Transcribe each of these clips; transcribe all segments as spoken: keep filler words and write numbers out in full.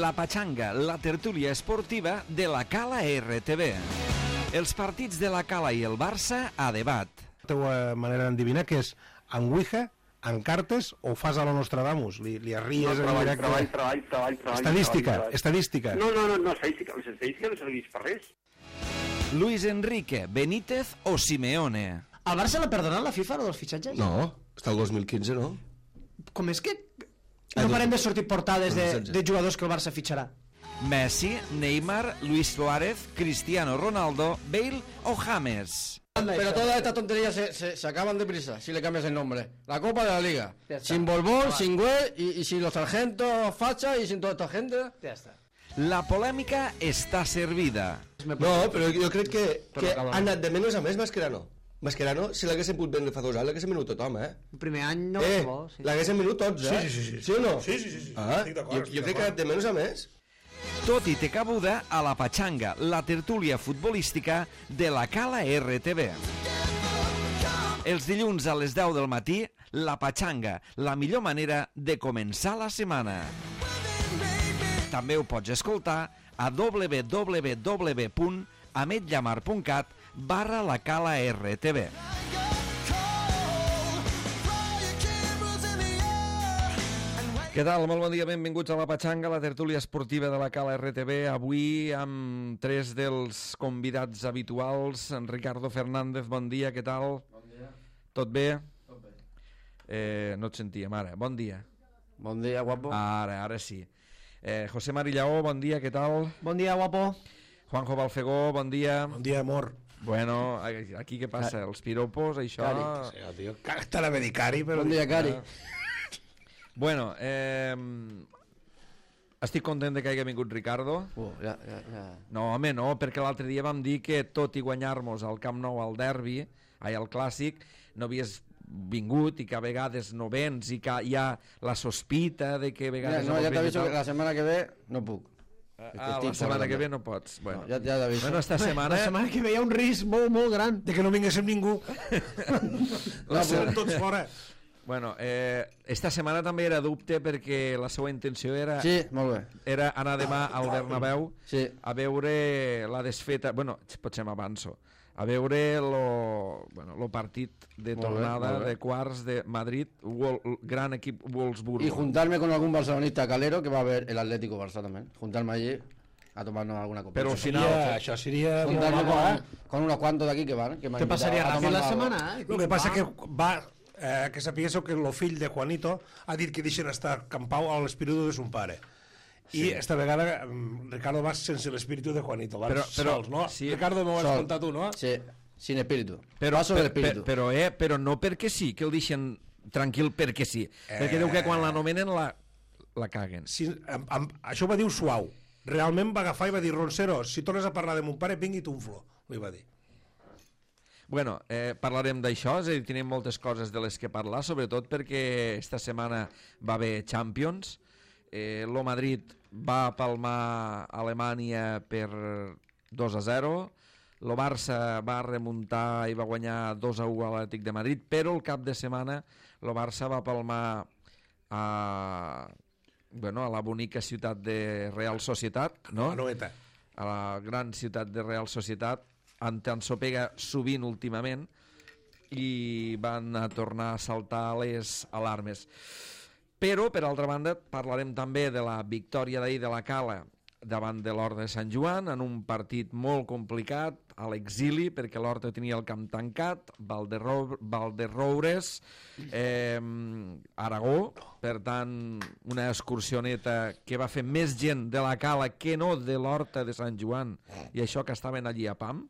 La Pachanga, la tertúlia esportiva de la Cala R T V. Els partits de la Cala i el Barça a debat. La teva manera d'endevinar que és en Ouija, en cartes o fas a lo Nostradamus? Li, li arries no, en treball, directe? Treball, treball, treball, treball. Estadística, treball, treball. estadística. No, no, no, no, estadística, les estadístiques no serveix per res. Luis Enrique, Benítez o Simeone? Al Barça l'ha perdonat la FIFA, lo dels fitxatges? No, està el dos mil quinze, no? Com és que no parem de sortir portades de, de jugadors que el Barça fitxarà? Messi, Neymar, Luis Suárez, Cristiano Ronaldo, Bale o James? Pero todas estas tonterías se, se, se acaban deprisa si le cambias el nombre. La Copa de la Liga. Sin Borbón, sin Güell y, y sin los sargentos Facha y sin toda esta gente. Ja està. La polèmica està servida. No, però jo crec que, que ha anat de menys a més Mascherano. Mascherano, si l'haguessin pogut vendre fa dos anys, l'haguessin venut tothom, eh? El primer any no eh, bo, sí. L'haguessin venut tots, eh? Sí, sí, sí, sí. Sí o no? Sí, sí, sí, sí. Ah, estic d'acord, jo, jo crec que ha anat de menys a més. Tot i té cabuda a la Pachanga, la tertúlia futbolística de la Cala R T V. Els dilluns a les deu del matí, la Pachanga, la millor manera de començar la setmana. També ho pots escoltar a w w w punt ametllamar punt cat barra la Cala R T V. Què tal? Molt bon dia, benvinguts a la Pachanga, la tertúlia esportiva de la Cala R T V. Avui amb tres dels convidats habituals. En Ricardo Fernández, bon dia, què tal? Bon dia. Tot bé? Tot bé. Eh, no et sentíem ara, bon dia. Bon dia, guapo. Ara, ara sí. Eh, José Marillaó, bon dia, què tal? Bon dia, guapo. Juanjo Balfegó, bon dia. Bon dia, amor. Bueno, aquí què passa? Els piropos, això... Cari. Sí, tio, t'anava a dir Cari, però... Bon dia, Cari. Bueno, eh, estic content de que hagi vingut Ricardo. Uh, ja, ja, ja. No, home, no, perquè l'altre dia vam dir que tot i guanyar-nos al Camp Nou al derbi, ai, al Clàssic, no havies vingut i que a vegades no vens i que hi ha la sospita de que a vegades... Mira, no, ja t'aviso que la setmana que ve no puc. Ah, la setmana que ve no pots. Bueno, no, ja, ja t'aviso. Bueno, esta setmana... La setmana que ve hi ha un risc molt, molt gran. De que no vinguéssim ningú. La serem tots fora. Bueno, eh, esta setmana també era dubte perquè la seva intenció era... Sí, molt bé. Era anar demà al Bernabéu sí. a veure la desfeta... Bueno, potser m'avanço. A veure lo, bueno, lo partit de molt tornada bé, bé. de quarts de Madrid, Wol, gran equip Wolfsburgo. Y juntarme con algún barcelonista calero que va a ver el Atlético Barça también. Juntarme allí a tomarnos alguna copa. Pero al final... Seria, això seria... Juntarme con, con unos cuantos de aquí que van. Que Te passaria ràpid la setmana, eh? El que passa que va... Eh, que sapigués que el fill de Juanito ha dit que deixen estar Campau a l'espíritu de son pare. I sí. Esta vegada Ricardo va sense l'espíritu de Juanito, van però, però, sols, no? Sí. Ricardo, m'ho has Sol. contat tu, no? Sí, sin espíritu. Però, Paso del per, espíritu. per, però, eh, però no perquè sí, que el deixen tranquil perquè sí. Eh... Perquè diu que quan l'anomenen la, la caguen. Si, amb, amb, això va dir suau. Realment va agafar i va dir, Roncero, si tornes a parlar de mon pare, vingui t'unflo, li va dir. Bueno, eh, parlarem d'això, és a dir, tenim moltes coses de les que parlar, sobretot perquè esta setmana va haver Champions, eh, lo Madrid va palmar Alemanya per dos a zero, lo Barça va remuntar i va guanyar dos a u a l'Atlètic de Madrid, però el cap de setmana lo Barça va palmar a, bueno, a la bonica ciutat de Real Societat, no? A Noeta. A la gran ciutat de Real Societat, en s'ensopega sovint últimament i van a tornar a saltar les alarmes. Però, per altra banda, parlarem també de la victòria d'ahir de la Cala davant de l'Horta de Sant Joan en un partit molt complicat a l'exili perquè l'Horta tenia el camp tancat, Valderroures, eh, Aragó, per tant una excursioneta que va fer més gent de la Cala que no de l'Horta de Sant Joan, i això que estaven allí a Pam,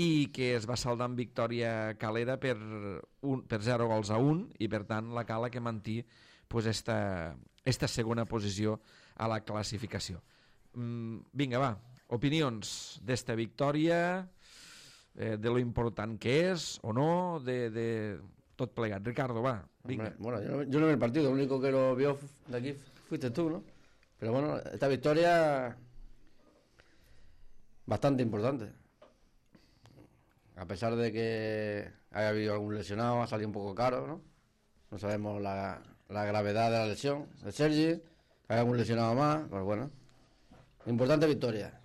i que es va saldar amb victòria calera per, un, per zero gols a un, i per tant la Cala que mantí pues, esta, esta segona posició a la classificació. Mm, vinga, va, opinions d'esta victòria, eh, de lo important que és o no, de, de tot plegat. Ricardo, va, vinga. Hombre, bueno, yo no, yo no vi el partido, lo único que lo vio de aquí fuiste tú, ¿no? Pero bueno, esta victoria bastante importante. A pesar de que haya habido algún lesionado, ha salido un poco caro, ¿no? No sabemos la, la gravedad de la lesión de Sergi, hay algún lesionado más, pues bueno, Importante victoria.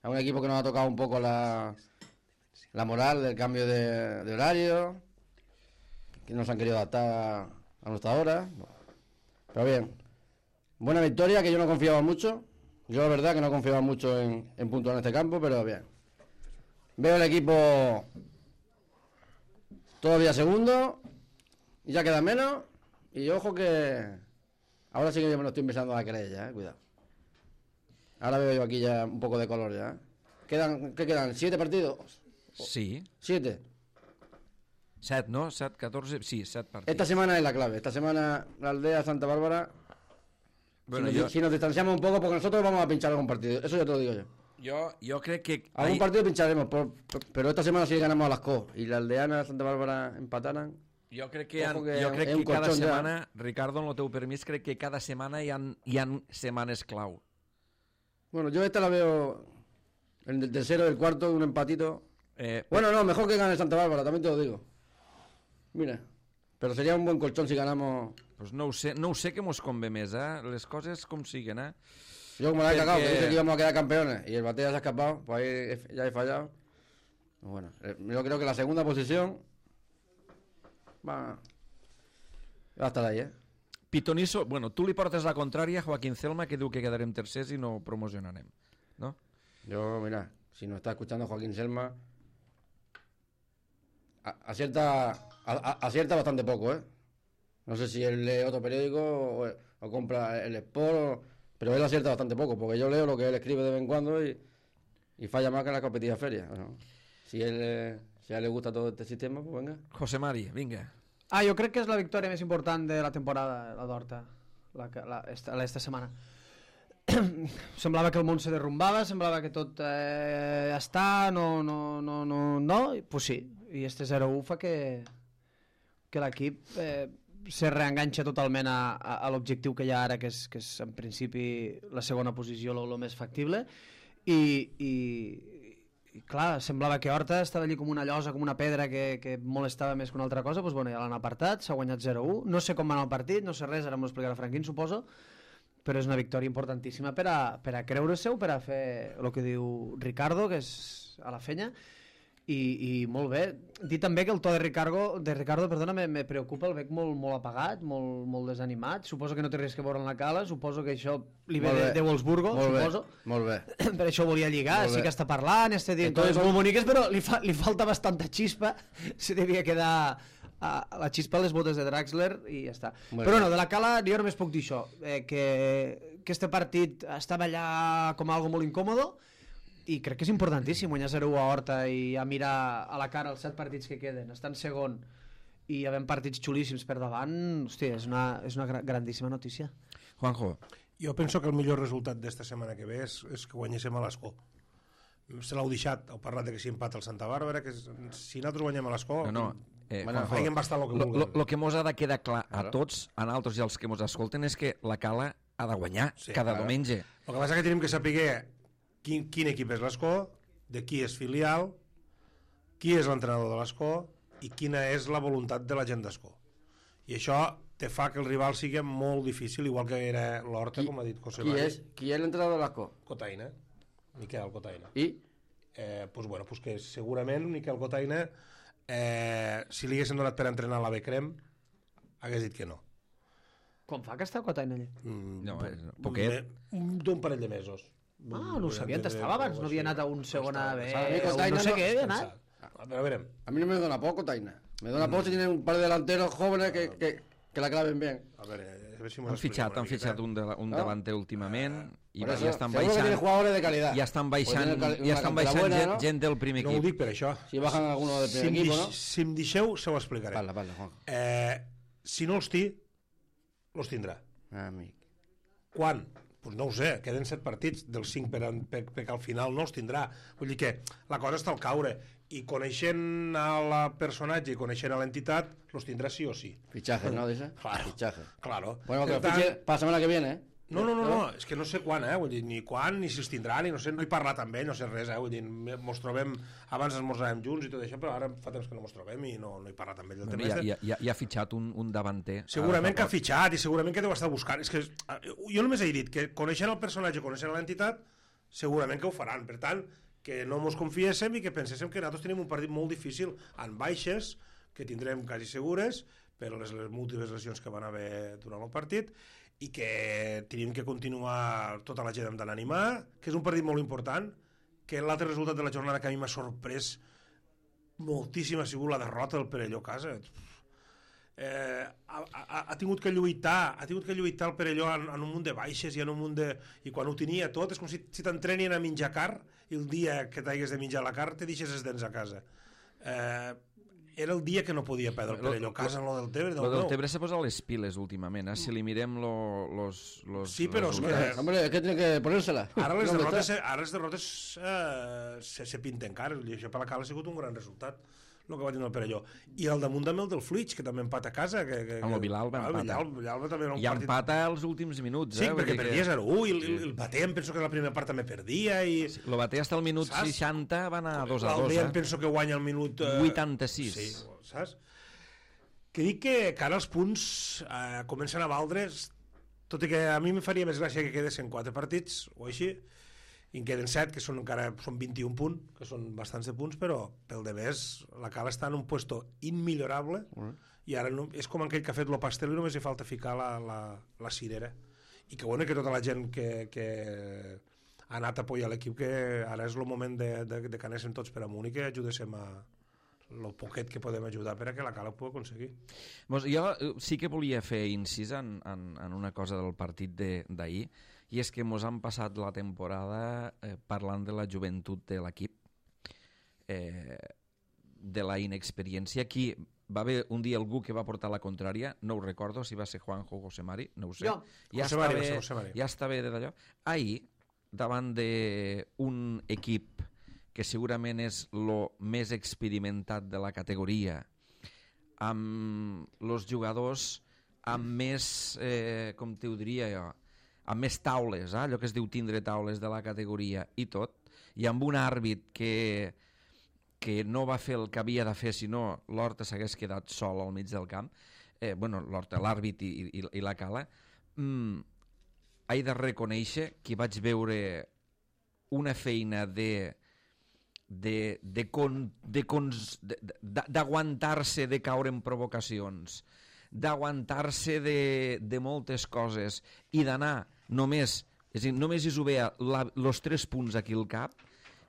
A un equipo que nos ha tocado un poco la, la moral del cambio de, de horario, que no se han querido adaptar a nuestra hora. Pero bien, buena victoria, que yo no confiaba mucho. Yo la verdad que no confiaba mucho en, en puntuar en este campo, pero bien. Veo el equipo todavía segundo, y ya queda menos, y ojo que ahora sí que yo me lo estoy empezando a creer ya, eh, cuidado. Ahora veo yo aquí ya un poco de color ya. Quedan, ¿qué quedan? ¿Siete partidos? Sí. ¿Siete? Set, no? Set, catorze... Sí, set partits. Esta semana es la clave. Esta semana la aldea Santa Bárbara... Bueno, si, nos, yo... si nos distanciamos un poco, porque nosotros vamos a pinchar algún partido. Eso ya te lo digo yo. Yo, yo crec que... Algún partido pincharemos, por, por, pero esta semana sí ganamos a las C O. Y la aldeana Santa Bárbara empataran. Jo crec que, han, que jo crec que cada colchón setmana, ja. Ricardo, amb el teu permís, crec que cada setmana hi ha, hi ha setmanes clau. Bueno, yo esta la veo en el tercero, el cuarto, un empatito. Eh, bueno, no, mejor que gane Santa Bárbara, también te lo digo. Mira, pero sería un buen colchón si ganamos... Pues no ho sé, no ho sé que mos convé més, eh? Les coses com siguen, eh? Yo como la he Perquè... cagado, que dice que íbamos a quedar campeones y el Batea se ha escapado, pues ahí he- ya he fallado. Bueno, eh, yo creo que la segunda posición va, va a estar ahí, ¿eh? Pitoniso, bueno, tu li portes la contrària a Joaquín Celma, que diu que quedarem tercers i no promocionarem, no? Yo, mira, si nos está escuchando Joaquín Selma, a- acierta, a- a- acierta bastante poco, ¿eh? No sé si él lee otro periódico o, o compra el Sport, o- pero él acierta bastante poco, porque yo leo lo que él escribe de vez en cuando y, y falla más que en la competida feria. Bueno, si, él, eh, si a él le gusta todo este sistema, pues venga. José Mari, vinga. Ah, jo crec que és la victòria més important de la temporada, la d'Horta, la, que- la, esta, la esta setmana. Semblava que el món se derrumbava, semblava que tot eh, ja està, no, no, no, no, no, i pues sí, i este zero u fa que, que l'equip eh, se reenganxa totalment a, a, a l'objectiu que hi ha ara, que és, que és en principi la segona posició, el més factible, i, i, i clar, semblava que Horta estava allí com una llosa, com una pedra que, que molestava més que una altra cosa, doncs bueno, ja l'han apartat, s'ha guanyat zero u, no sé com va anar el partit, no sé res, ara m'ho explicarà Franquín, suposo, però és una victòria importantíssima per a, per a creure-se-ho, per a fer el que diu Ricardo, que és a la fenya, i, i molt bé. Dir també que el to de Ricardo, de Ricardo perdona, me, me preocupa, el veig molt, molt apagat, molt, molt desanimat, suposo que no té res que veure en la cala, suposo que això li ve Molt de, bé. de Wolfsburgo, Molt bé, suposo. molt bé. Per això volia lligar, Molt sí bé. que està parlant, està dient Entonces, coses molt boniques, però li, fa, li falta bastanta xispa, se devia quedar a, a la xispa a les botes de Draxler i ja està. Molt Però bé. no, de la Cala jo només puc dir això, eh, que, que este partit estava allà com algo molt incòmodo i crec que és importantíssim guanyar zero u a Horta i a mirar a la cara els set partits que queden, estar en segon i havent partits xulíssims per davant, hòstia, és una, és una gra- grandíssima notícia. Juanjo. Jo penso que el millor resultat d'esta setmana que ve és, és que guanyéssim a l'Escó. Se l'heu deixat, heu parlat de que si empata el Santa Bàrbara, que és, si nosaltres guanyem a l'Escó, No, no. Eh, Bueno, Juanjo, feien bastant el que lo, lo, vulguem. lo que mos ha de quedar clar a Claro. tots, a nosaltres i als que mos escolten, és que la Cala ha de guanyar Sí, cada claro. diumenge. El que passa és que tenim que saber quin, quin equip és l'Escó, de qui és filial, qui és l'entrenador de l'Escó i quina és la voluntat de la gent d'Escó. I això te fa que el rival sigui molt difícil, igual que era l'Horta, Qui- com ha dit José ¿Qui Mari. es, ¿Quién es el entrenador de l'Asco? Cotaina, Miquel Cotaina. ¿Y? Eh, pues bueno, pues que segurament Miquel Cotaina, eh, si li haguessin donat per entrenar a la Becrem, hagués dit que no. Com fa que està Cotaina allà? Mm, No, po- és poquet. un- D'un parell de mesos. Ah, no ho sabia, on estava abans, no havia anat a un segon A B, Estava- o Cotaina no sé no- què havia anat. A veure, a veure. A mí no me dona poco, Taina. Me dona poco si tienen un par de delanteros jóvenes que, que, que la claven bien. A veure, a veure si mos Han expliquem fitxat, una han miqueta. fitxat un, de, un No? davanter últimament i Por va, eso, ja estan seguro que tiene baixant, jugadores de calidad. ja estan Pues baixant, tiene cal- ja una estan cantera baixant buena, gent, ¿no? gent del primer No ho equip. dic per això. Si bajan algunos del Si primer em, equipo, dix- ¿no? si em deixeu, se ho explicaré. Parla, parla, Juan. Eh, si no els té, els tindrà. Amic. Quan? Pues no ho sé, queden set partits dels cinc per, per, per al final no els tindrà. Vull dir que la cosa està al caure i coneixent a la personatge i coneixent a l'entitat, los tindrà sí o sí. Fichaje, ¿no? Dice. Claro. Fichaje. Claro. Bueno, que Per lo fiche tant, para la semana que viene, ¿eh? No, no, no, no, és que no sé quan, eh? Vull dir, ni quan, ni si els tindrà, ni no sé, no he parlat amb ell, no sé res, eh? Vull dir, mos trobem, abans esmorzàvem junts i tot això, però ara fa temps que no mos trobem i no, no he parlat amb ell del Bueno, tema. ja, este. ja, ja, ja ha fitxat un, un davanter. Segurament que ha fitxat i segurament que deu estar buscant. És que jo només he dit que coneixent el personatge, coneixent l'entitat, segurament que ho faran. Per tant, que no mos confiéssim i que penséssim que nosaltres tenim un partit molt difícil en baixes, que tindrem quasi segures, per les, les múltiples lesions que van haver durant el partit, i que tenim que continuar tota la gent amb d'animar, que és un partit molt important, que l'altre resultat de la jornada que a mi m'ha sorprès moltíssim ha sigut la derrota del Perelló a casa. Eh, ha, ha, ha tingut que lluitar ha tingut que lluitar el Perelló en, en un munt de baixes i en un munt de... i quan ho tenia tot és com si, si t'entrenien a menjar car i el dia que t'hagués de menjar la car te deixes els dents a casa. Eh, era el dia que no podia perdre el Perelló a casa en lo del Tebre. Lo del Tebre s'ha posat les piles últimament, eh? Si li mirem lo, los, los... Sí, però los... és que... Hombre, es que tiene que ponérsela. Ara les No, derrotes, ara les derrotes eh, se, se pinten cares, i això per la Cala ha sigut un gran resultat, el que va tenir el Perelló. I al damunt també el del Fluig, que també empata a casa. Que, que, Amb el Vilalba ah, empata. Vilalba, Vilalba també era un I partit... empata els últims minuts. Sí, eh? perquè Vull dir perdia que... zero u, i el, el Batea em penso que la primera part també perdia, i... Sí, lo Batea hasta el minut Saps? seixanta va anar dos a dos. L'Aldea Eh? em penso que guanya el minut... Eh... vuitanta-sis. Sí, saps? Que dic que, que ara els punts eh, comencen a valdre's, tot i que a mi em faria més gràcia que quedessin quatre partits o així, i en queden set, que són encara són vint-i-un punts, que són bastants de punts, però pel de més la Cala està en un puesto immillorable, mm. i ara no, és com aquell que ha fet lo pastel i només hi falta ficar la, la, la cirera. I que bueno, que tota la gent que, que ha anat a apoyar l'equip, que ara és el moment de, de, de que anéssim tots per amunt i que ajudéssim a el poquet que podem ajudar per a que la Cala ho pugui aconseguir. Mos, jo sí que volia fer incís en, en, en una cosa del partit d'ahir, i és que mos han passat la temporada eh, parlant de la joventut de l'equip, eh, de la inexperiència. Aquí va haver un dia algú que va portar la contrària, no ho recordo si va ser Juanjo o José Mari, no ho sé. Jo. Ja, José està Mari, bé, José Mari. ja està bé de d'allò. Ahir, davant d'un equip que segurament és el més experimentat de la categoria, amb els jugadors amb més, eh, com t'ho diria jo, amb més taules, eh? Allò que es diu tindre taules de la categoria i tot, i amb un àrbit que, que no va fer el que havia de fer, sinó l'Horta s'hagués quedat sol al mig del camp, eh, bueno, l'Horta, l'àrbit i, i, i la Cala, mm, he de reconèixer que vaig veure una feina de de, de, con, de, cons, de, de, d'aguantar-se de caure en provocacions, d'aguantar-se de, de moltes coses i d'anar només, és a dir, només és ho veia els tres punts aquí al cap,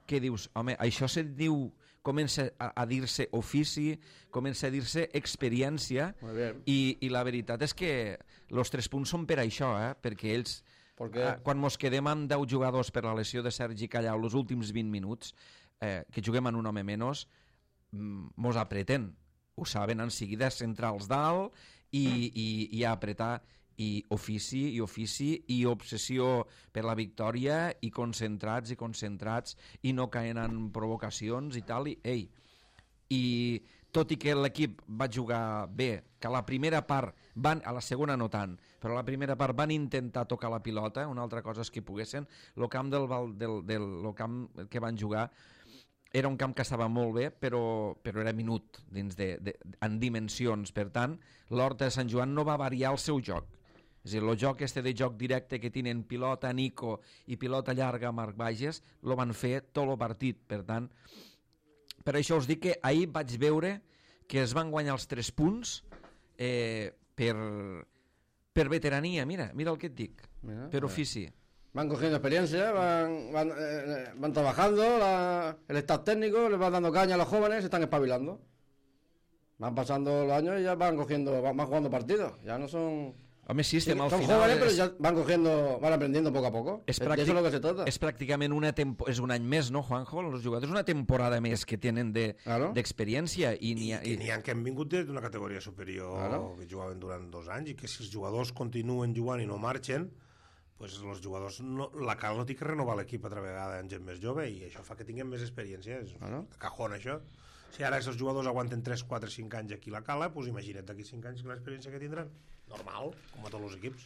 que dius, home, això se diu, comença a, a dir-se ofici, comença a dir-se experiència, i, i la veritat és que els tres punts són per això, eh? Perquè ells, eh, quan mos quedem amb deu jugadors per la lesió de Sergi Callau els últims vint minuts, eh, que juguem en un home menys, mos apreten, ho saben en seguida, centrals dalt i, i, i a apretar, i ofici, i ofici, i obsessió per la victòria, i concentrats, i concentrats, i no caen en provocacions i tal, i ei, i tot i que l'equip va jugar bé, que a la primera part, van, a la segona no tant, però a la primera part van intentar tocar la pilota, una altra cosa és que poguessin, el camp, del, del, del, el camp que van jugar era un camp que estava molt bé, però, però era minut dins de, de, en dimensions. Per tant, l'Horta de Sant Joan no va variar el seu joc. És a dir, el joc este de joc directe que tenen pilota Nico i pilota llarga Marc Bages, lo van fer tot el partit. Per tant, per això us dic que ahir vaig veure que es van guanyar els tres punts eh, per, per veterania. Mira, mira el que et dic, mira, per ofici. Van cogiendo experiencia, van, van, eh, van trabajando, la, el staff técnico les va dando caña a los jóvenes, se están espabilando. Van pasando los años y ya van cogiendo, van, van jugando partidos, ya no son... Home, sí, estem sí, al son final... jóvenes, és... pero ya van cogiendo, van aprendiendo poco a poco. És de eso es lo que se trata. És pràcticament una tempo... és un any més, no, Juanjo? Els jugadors una temporada més que tenen d'experiència. De... Claro. I, I, I que n'hi ha que han vingut d'una categoria superior, claro, que jugaven durant dos anys, i que si els jugadors continuen jugant i no marxen, pues els jugadors no, la Cala no té que renovar l'equip altra vegada en gent més jove, i això fa que tinguem més experiència. És claro, de cajón, això. Si ara els jugadors aguanten tres, quatre, cinc anys aquí a la Cala, pues imagina't d'aquí cinc anys l'experiència que tindran. Normal, com a tots els equips.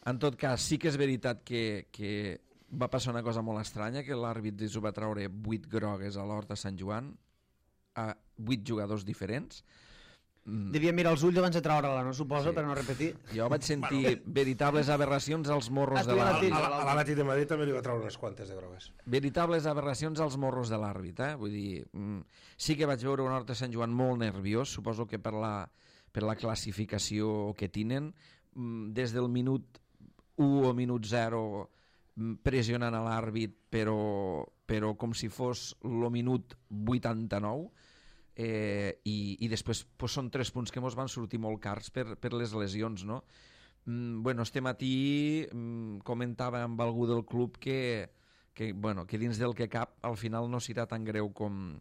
En tot cas, sí que és veritat que, que va passar una cosa molt estranya, que l'àrbit s'ho va treure vuit grogues a l'Horta Sant Joan, a vuit jugadors diferents. Devia mirar els ulls abans de treure-la, no suposo, Sí. per no repetir. Jo vaig sentir veritables aberracions als morros Ah, de tu ja la l'àrbit. tens. A, a l'Atlètic de Madrid també li va treure unes quantes de grogues. Veritables aberracions als morros de l'àrbit, eh? Vull dir, mm, sí que vaig veure un Horta Sant Joan molt nerviós, suposo que per la, per la classificació que tenen, mm, des del minut u o minut zero mm, pressionant a l'àrbit, però, però com si fos el minut vuitanta-nou, eh, i, i després pues, són tres punts que ens van sortir molt cars per, per les lesions, no? Mm, bueno, este matí mm, comentava amb algú del club que, que, bueno, que dins del que cap al final no serà tan greu com,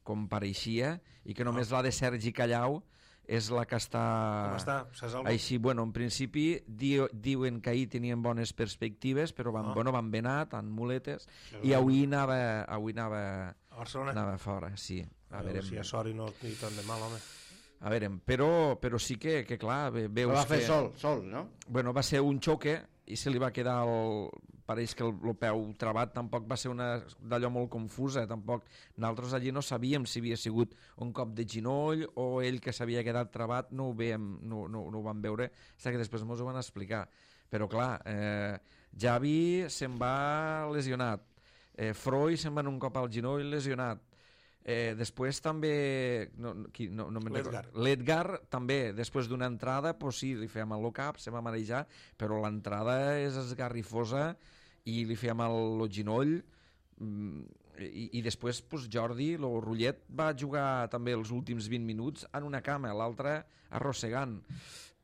com pareixia i que només la de Sergi Callau és la que està... Com està? Saps alguna cosa? Així, bueno, en principi di, diuen que ahir tenien bones perspectives, però van, Ah. bueno, van ben anat, amb muletes, Això és i bo. avui anava, avui anava, A Barcelona? anava fora, sí. A A veure veure, si a sort i no ni tant de mal, home. a veure, però, però sí que, que clar, ve- veus Lo va fer que... sol, sol, no? Bueno, va ser un xoque i se li va quedar el... Pareix que el, el peu trabat tampoc va ser una d'allò molt confusa, tampoc nosaltres allí no sabíem si havia sigut un cop de ginoll o ell que s'havia quedat trabat, no ho, veiem, no, no, no ho vam veure, fins que després ens ho van explicar. Però clar, eh, Javi se'n va lesionat, eh, Freud se'n va en un cop al ginoll lesionat, Eh, després també no, no, qui, no, no me'n L'Edgar. recordo. L'Edgar també, després d'una entrada pues sí, li fèiem el cap, se va marejar, però l'entrada és esgarrifosa i li fèiem el, el ginoll mm, i, i després pues, Jordi, el Rullet va jugar també els últims vint minuts en una cama, l'altra arrossegant.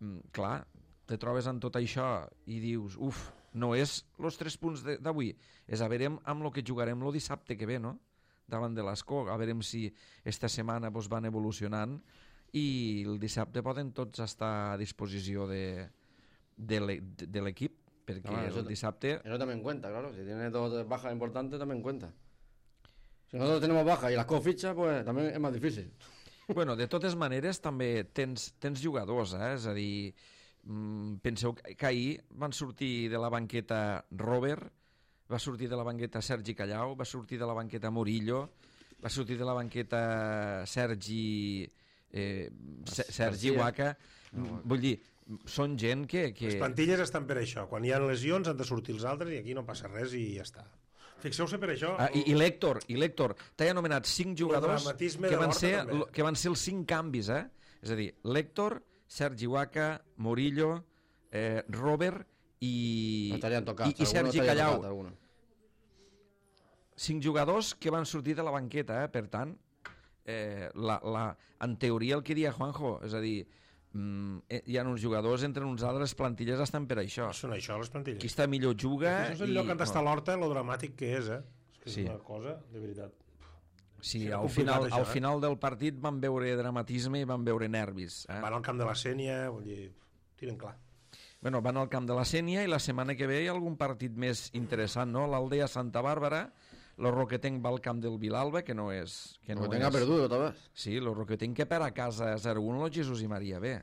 Mm, clar, te trobes en tot això i dius, uf, no és els tres punts de- d'avui, és a veure amb el que jugarem el dissabte que ve, no? Davant de l'Escó, a veure si esta setmana pues, van evolucionant i el dissabte poden tots estar a disposició de, de l'e- de l'equip, perquè Ah, eso el ta- dissabte... Eso también cuenta, claro. Si tiene dos bajas importantes, también cuenta. Si nosotros tenemos bajas y las co fichas, pues también es más difícil. Bueno, de totes maneres també tens, tens jugadors, eh? És a dir, mm, penseu que que ahir van sortir de la banqueta Robert, va sortir de la banqueta Sergi Callau, va sortir de la banqueta Murillo, va sortir de la banqueta Sergi eh, Se- Sergi García. Huaca. Vull dir, són gent que... que... Les plantilles estan per això. Quan hi ha lesions han de sortir els altres i aquí no passa res i ja està. Fixeu-se per això... Ah, i, i l'Héctor, i l'Héctor, t'he anomenat cinc jugadors dramatisme que de van, l'Horta ser, també. lo- que van ser els cinc canvis, eh? És a dir, l'Héctor, Sergi Huaca, Murillo, eh, Robert i, Estarían tocados. i, i Sergi estaría Callau. tocado, alguno. Cinc jugadors que van sortir de la banqueta, eh? Per tant, eh, la, la, en teoria el que dia Juanjo, és a dir, mm, eh, hi ha uns jugadors entre uns altres plantilles estan per això. Són això, les plantilles. Qui està millor juga... Això és el i- lloc on està l'Horta, lo dramàtic que és, eh? És que és Sí. una cosa, de veritat. Sí, Serà al complicat, final, això, al eh? final del partit van veure dramatisme i van veure nervis. Eh? Van al camp de la Sènia, vull dir, tiren clar. Bueno, van al camp de la Sènia i la setmana que ve hi ha algun partit més interessant, no? L'Aldea Santa Bàrbara, el Roquetenc va al camp del Vilalba, que no és... Que No no tenga és... perdido otra vez. Sí, el Roquetenc que per a casa zero uno el Jesús i Maria B.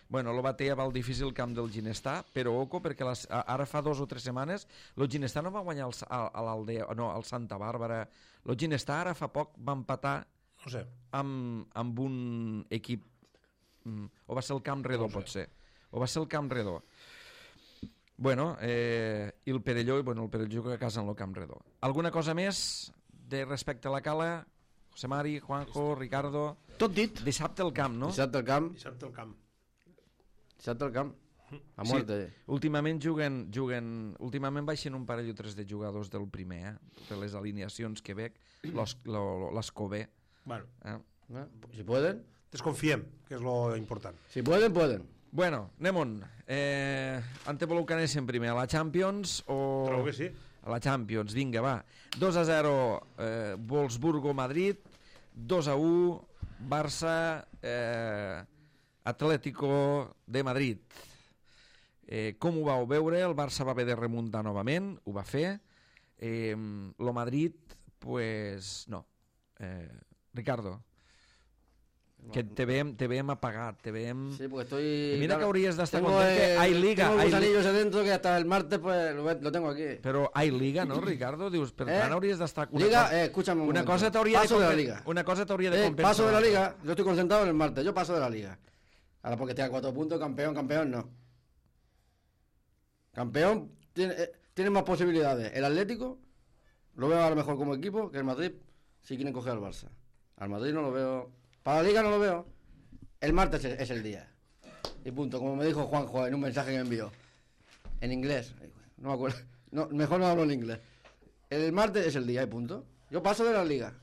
Bueno, el Batea va al difícil camp del Ginestà, però oco, perquè les, a- ara fa dos o tres setmanes el Ginestà no va guanyar el, Sa- a, a l'Aldea, no, al Santa Bàrbara. El Ginestà ara fa poc va empatar No sé. amb, amb un equip, mm, o va ser el Camp Redó, No ho sé. pot ser, o va ser el Camp Redó. Bueno, eh, i el Perelló, bueno, el Perelló juga a casa en el Camp Redó. Alguna cosa més de respecte a la Cala? José Mari, Juanjo, Ricardo... Tot dit. Dissabte al camp, no? Dissabte al camp, Dissabte al camp. dissabte al camp. A Sí, muerte. últimament juguen, juguen, últimament baixen un parell o tres de jugadors del primer, eh? Per les alineacions que veig, l'Escobé. Bueno, Eh? ¿Eh? Si pueden, desconfiem, que és lo important. si pueden, pueden. Bueno, anem-on. Eh, en te voleu que anéssim primer a la Champions o... Trobo que sí. A la Champions, vinga, va. dos a zero eh, Wolfsburgo-Madrid, dos a u Barça eh, Atlético de Madrid. Eh, com ho vau veure? El Barça va haver de remuntar novament, ho va fer. Eh, lo Madrid, pues no. Eh, Ricardo. Que te veiem, te veiem apagat, te veiem... Sí, porque estoy... Y mira claro, que habrías de estar tengo, contento que eh, hay liga. Tengo hay gusanillos li- adentro que hasta el martes pues lo, lo tengo aquí. Però hay liga, no, Ricardo? Dius, per Eh? tant hauries d'estar... una Liga, cosa- eh, escúchame un Una momento. cosa t'hauria de, Paso de la compen- liga. una cosa t'hauria de Eh, compensar. paso de la liga, yo estoy concentrado en el martes, yo paso de la liga. Ahora porque tenga cuatro puntos, campeón, campeón, no. Campeón tiene, eh, tiene más posibilidades. El Atlético lo veo a lo mejor como equipo que el Madrid si quieren coger al Barça. Al Madrid no lo veo. Para la liga no lo veo. El martes es, es el día. Y punto. Como me dijo Juanjo en un mensaje que me envió. En inglés. No me acuerdo. No, mejor no hablo en inglés. El martes es el día y punto. Yo paso de la liga.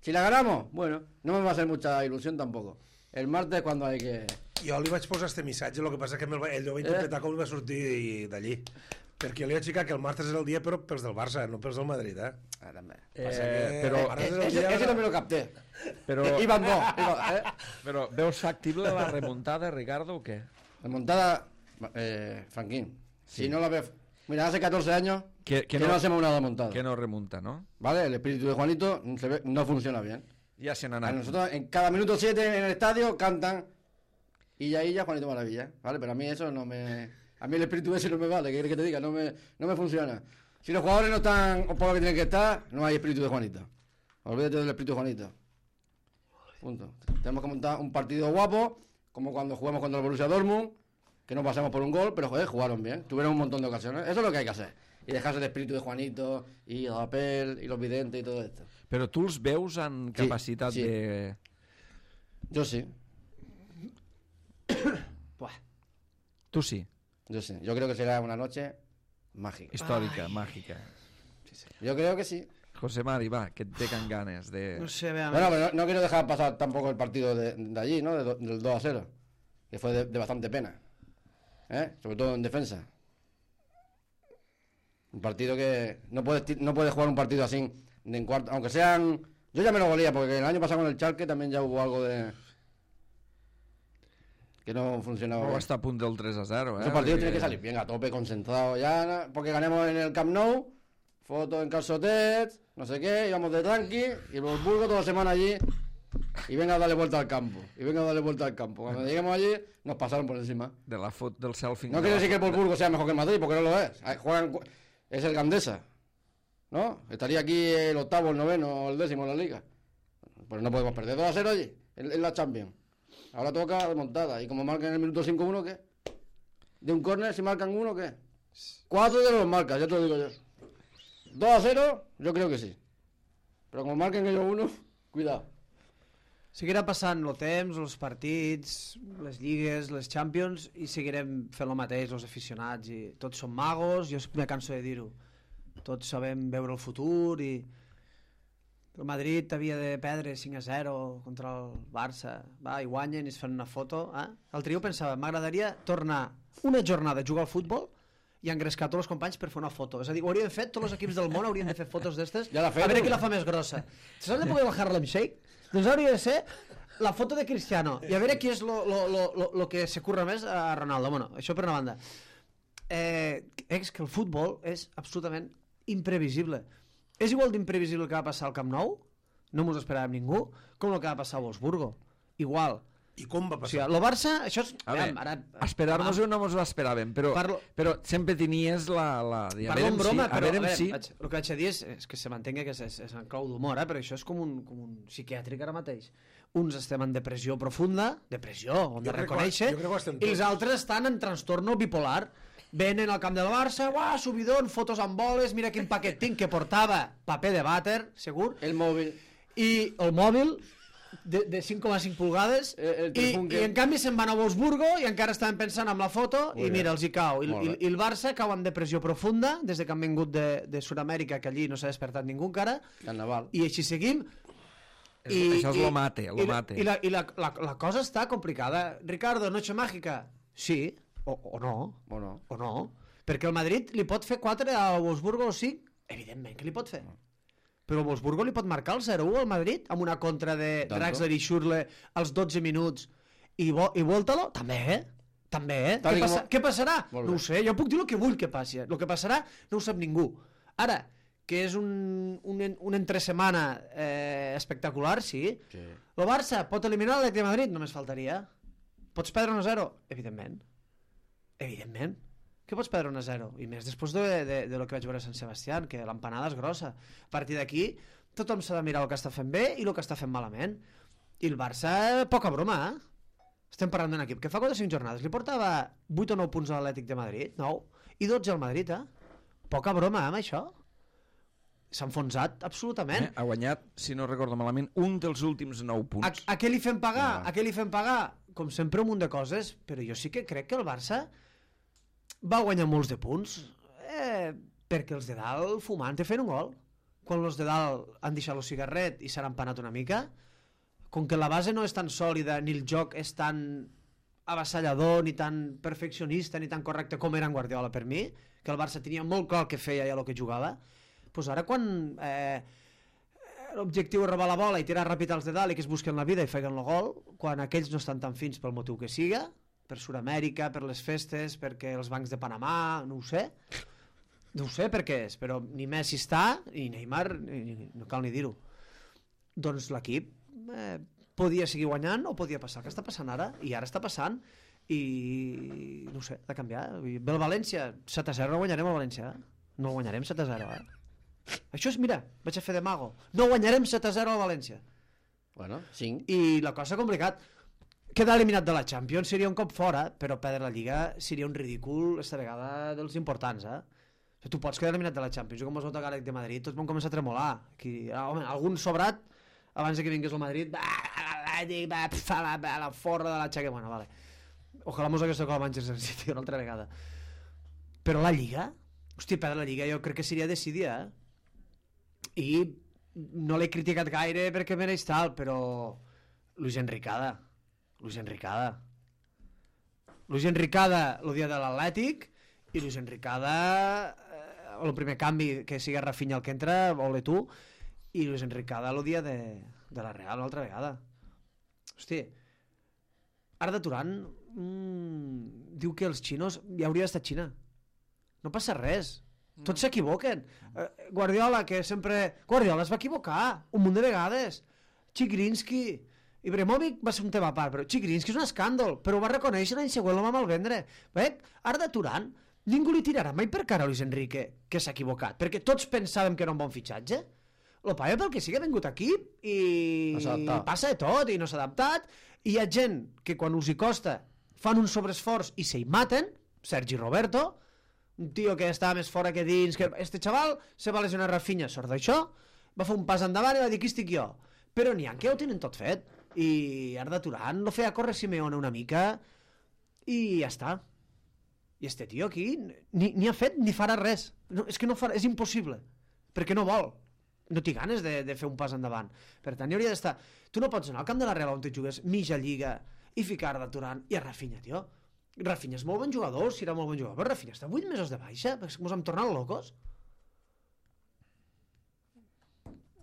Si la ganamos, bueno, no me va a hacer mucha ilusión tampoco. El martes es cuando hay que... Jo li vaig posar este missatge, el que passa que ell va, ell ho va interpretar eh? com va sortir d'allí. Perquè li vaig explicar que el martes és el dia però pels del Barça, no pels del Madrid, eh? Ah, també. Eh, que però, el martes és el Ese, dia... ese no me lo capté. però, Iban dos. Iba, eh. però veus factible la remuntada, Ricardo, o què? Remontada, eh, Franquín. Sí. Si no la ves... Mira, hace catorce años Que, que, no, hacemos una remontada. Que no remunta, ¿no? ¿Vale? El espíritu de Juanito se ve, no funciona bien. Ja se n'ha A anat. nosotros en cada minuto siete en el estadio cantan y ya y ya Juanito Maravilla, ¿vale? Pero a mí eso no me... A mí el espíritu ese no me vale, ¿qué quieres que te diga? No me, no me funciona. Si los jugadores no están por lo que tienen que estar, no hay espíritu de Juanito. Olvídate del espíritu de Juanito. Punto. Tenemos que montar un partido guapo, como cuando jugamos contra el Borussia Dortmund, que no pasamos por un gol, pero joder, jugaron bien. Tuvieron un montón de ocasiones. Eso es lo que hay que hacer. Y dejarse el espíritu de Juanito, y el papel, y los videntes y todo esto. Però tu els veus en capacitat sí. de... Yo sí. Buah. Tu sí, Yo sí, yo creo que será una noche mágica. històrica, màgica. Yo creo que sí. José Mari, va, que et tengan ganes de... No sé, veamos. Bueno, pero no, no quiero dejar pasar tampoco el partido de, de allí, ¿no? De do- del dos a cero, que fue de, de bastante pena. ¿Eh? Sobre todo en defensa. Un partido que no puedes, ti- no puedes jugar un partido así de en cuarto, aunque sean... Yo ya me lo golía, porque el año pasado con el Schalke también ya hubo algo de... que no funcionaba. No bien. està a punt del tres a zero, eh? Esos partidos Perquè- tienen que salir bien, a tope, concentrados ya, porque ganemos en el Camp Nou, fotos en calzotet, no sé qué, íbamos de tranqui, y el Wolfsburgo toda la semana allí, y venga a darle vuelta al campo, y venga a darle vuelta al campo. Cuando lleguemos allí, nos pasaron por encima. De la foto del selfie. No quiere decir que el Wolfsburgo sea mejor que el Madrid, porque no lo es. Ahí Juegan, cu- es el Gandesa, ¿no? Estaría aquí el octavo, el noveno, el décimo en la liga. Pues no podemos perder dos a cero allí, en, en la Champions. Ahora toca remontada. Y como marcan en el minuto cinco uno, ¿qué? De un córner, si marcan uno, ¿qué? Cuatro de los marcas, ya te lo digo yo. dos a cero, yo creo que sí. Pero como marquen ellos uno, cuidado. Seguirà passant el temps, els partits, les lligues, les Champions, i seguirem fent el mateix, els aficionats, i tots som magos, jo me canso de dir-ho. Tots sabem veure el futur, i el Madrid havia de perdre cinc a zero contra el Barça, va, i guanyen i es fan una foto. Eh? L'altre dia pensava, m'agradaria tornar una jornada a jugar al futbol i engrescar tots els companys per fer una foto. És a dir, ho haurien fet, tots els equips del món haurien de fer fotos d'estes, Ja l'ha fet, a veure no? qui la fa més grossa. Saps de poder el Harlem Shake? Doncs hauria de ser la foto de Cristiano i a veure qui és lo, lo, lo, lo, lo que se curra més a Ronaldo. Bueno, això per una banda. Eh, és que el futbol és absolutament imprevisible. És igual d'imprevisible el que va passar al Camp Nou, no mos esperàvem ningú, com el que va passar a Wolfsburgo. Igual. I com va O sigui, passar? el Barça, això és... A veure, ara, esperar-nos-ho no ens ho esperàvem, però, Parlo- però sempre tenies la... la a Parlo veure en broma, si, a però veure a veure, si... vaig, el que vaig a dir és, és que se mantenga que és, és, és en clau d'humor, eh? Però això és com un, com un psiquiàtric ara mateix. Uns estem en depressió profunda, depressió, on de Jo crec que- reconèixer, jo crec que ho estem i els tots. altres estan en trastorno bipolar. Venen al camp del Barça, uah, subidon, fotos amb boles, mira quin paquet tinc, que portava paper de vàter, segur, El móvil. i el mòbil de, de cinc coma cinc pulgades, El- el i, telèfon que- i en canvi se'n van a Wolfsburgo i encara estaven pensant en la foto, Molt i bé. mira, els hi cau. I, Molt i, bé. I el Barça cau en depressió profunda des de que han vingut de, de Sud-amèrica, que allí no s'ha despertat ningú encara, Carnaval. i així seguim. És- això és lo mate, lo i, mate. I, la, i la, la, la cosa està complicada. Ricardo, noche mágica? Sí, o, o no, O no. o no. Perquè el Madrid li pot fer quatre a Wolfsburgo o cinc? Evidentment que li pot fer. Però el Wolfsburgo li pot marcar el zero u al Madrid amb una contra de Tanto. Draxler i Schürrle als dotze minuts i, vo i volta-lo? També, eh? També, eh? Tal Què, i passa com- què passarà? Molt No bé. ho sé, jo puc dir el que vull que passi. El que passarà no ho sap ningú. Ara, que és un, un, un entresemana eh, espectacular, sí. Sí. El Barça pot eliminar l'Atlètic de Madrid? Només faltaria. Pots perdre un a zero? Evidentment. Evidentment. Que pots perdre un a zero? I més després de, de, de lo que vaig veure a Sant Sebastián, que l'empanada és grossa. A partir d'aquí, tothom s'ha de mirar el que està fent bé i el que està fent malament. I el Barça, poca broma, eh? Estem parlant d'un equip que fa quatre o cinc jornades li portava vuit o nou punts a l'Atlètic de Madrid, nou, i dotze al Madrid, eh? Poca broma, eh, amb això? S'ha enfonsat absolutament. Eh, ha guanyat, si no recordo malament, un dels últims nou punts. A, a què li fem pagar? Ja. A què li fem pagar? Com sempre, un munt de coses, però jo sí que crec que el Barça va guanyar molts de punts eh, perquè els de dalt fumant te fent un gol. Quan els de dalt han deixat el cigarret i s'han empanat una mica, com que la base no és tan sòlida ni el joc és tan avassallador, ni tan perfeccionista, ni tan correcte com era en Guardiola per mi, que el Barça tenia molt clar el que feia i el que jugava, doncs ara quan eh, l'objectiu és robar la bola i tirar ràpid als de dalt i que es busquen la vida i feguen el gol, quan aquells no estan tan fins pel motiu que siga, per Sud-amèrica, per les festes, perquè els bancs de Panamà, no ho sé, no ho sé per què és, però ni Messi està, ni Neymar, ni, no cal ni dir-ho. Doncs l'equip eh, podia seguir guanyant o podia passar el que està passant ara, i ara està passant, i no ho sé, de canviar. Ve el València, set a zero no guanyarem el València, eh? No guanyarem set a zero, eh? Això és, mira, vaig a fer de mago. No guanyarem set a zero al València. Bueno, cinc. I la cosa complicat. Quedar eliminat de la Champions seria un cop fora, però perdre la Lliga seria un ridícul esta vegada dels importants, eh? O sigui, tu pots quedar eliminat de la Champions. Jo com vas votar Galec de Madrid, tots vam començar a tremolar. Aquí, home, algun sobrat, abans de que vingués el Madrid, va, va, va, va, la forra de la xaca. Bueno, vale. Ojalà mos hagués tocat el Manchester City una altra vegada. Però la Lliga? Hòstia, perdre la Lliga jo crec que seria decidir, eh? I no l'he criticat gaire perquè mereix tal, però Luis Enricada Luis Enricada Luis Enricada el dia de l'Atlètic i Luis Enricada eh, el primer canvi que siga Rafinha el que entra, ole tu, i Luis Enricada el dia de, de la Real una altra vegada. Hosti, Arda Turan mm, diu que els xinos ja hauria d'estar a Xina, no passa res. Tots s'equivoquen. Guardiola, que sempre... Guardiola es va equivocar un munt de vegades. Chigrinsky... Ibrahimovic va ser un tema a part, però Chigrinsky és un escàndol, però ho va reconèixer l'any següent, el va malvendre. Bé, Arda Turan, ningú li tirarà mai per cara a Luis Enrique, que s'ha equivocat, perquè tots pensàvem que era un bon fitxatge. Lo paia pel que sigui ha vingut aquí i... No passa de tot, i no s'ha adaptat, i hi ha gent que quan us hi costa fan un sobreesforç i se hi maten, Sergi Roberto, un tio que està més fora que dins, que este xaval se va lesionar Rafinha, sort d'això, va fer un pas endavant i va dir, aquí estic jo. Però n'hi ha que ho tenen tot fet. I Arda Turan lo feia córrer Simeone una mica i ja està. I este tio aquí ni, ni ha fet ni farà res. No, és que no farà, és impossible, perquè no vol. No té ganes de, de fer un pas endavant. Per tant, hi hauria d'estar... Tu no pots anar al camp de la Real on te jugues mitja lliga i ficar Arda Turan i a Rafinha, tio. Rafinha és molt bon jugador, si era molt bon jugador, però Rafinha està vuit mesos de baixa, perquè ens hem tornat locos.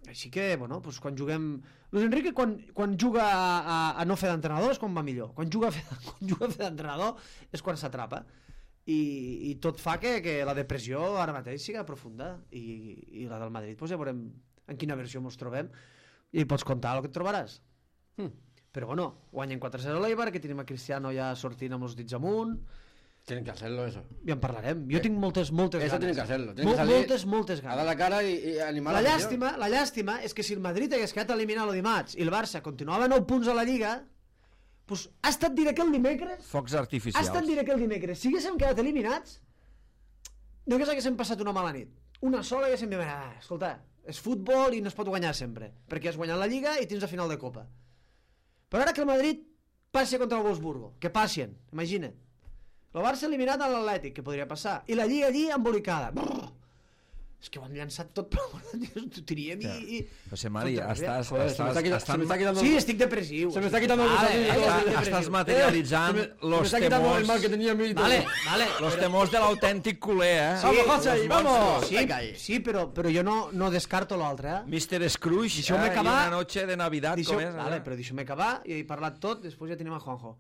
Així que, bueno, doncs quan juguem... Luis Enrique, quan, quan juga a, a, a no fer d'entrenador és quan va millor. Quan juga a fer, quan juga a fer d'entrenador és quan s'atrapa. I, I tot fa que, que la depressió ara mateix siga profunda. I, i la del Madrid, doncs ja veurem en quina versió ens trobem. I pots contar el que et trobaràs. Hm. Però bueno, guanyen quatre a zero l'Eibar, que tenim a Cristiano ja sortint amb els dits amunt. Tienen que hacerlo eso. Ja en parlarem. Jo tinc moltes, moltes eso ganes. tienen que hacerlo. Tienen Mol, que salir moltes, moltes ganes. a dar la cara y, y animar la a la llàstima, la llàstima és que si el Madrid hagués quedat eliminat el dimarts i el Barça continuava a nou punts a la Lliga, pues, ha estat dir que el dimecres... Focs Ha artificials. estat dir que el dimecres, si haguéssim quedat eliminats, no que haguéssim passat una mala nit. Una sola haguéssim dit, ah, escolta, és futbol i no es pot guanyar sempre, perquè has guanyat la Lliga i tens la final de Copa. Però ara que el Madrid passi contra el Wolfsburgo, que passien, imagina't. El Barça eliminat a l'Atlètic, que podria passar, i la Lliga allí embolicada. Brrr. És que ho han llançat tot per ho tiríem i... i... José María, estàs... Joder, se me está quitando- se me está quitando- Sí, estic depressiu. Se me está quitando el Vale, gusanillo. vale, Estàs, estic estàs depressiu. materialitzant Se me- se me los está quitando el mal temors, que tenía en mí. Vale, vale. los temors de l'autèntic culer, eh? Sí, Vamos, José, los vamos. monstruos. Sí, Venga ahí. sí, però, però jo no, no descarto l'altre, eh? mister Scrooge, Deixeu-me eh? acabar. I una noche de Navidad, Deixeu, com és? vale, eh? però deixeu-me acabar i he parlat tot, després ja tenim a Juanjo.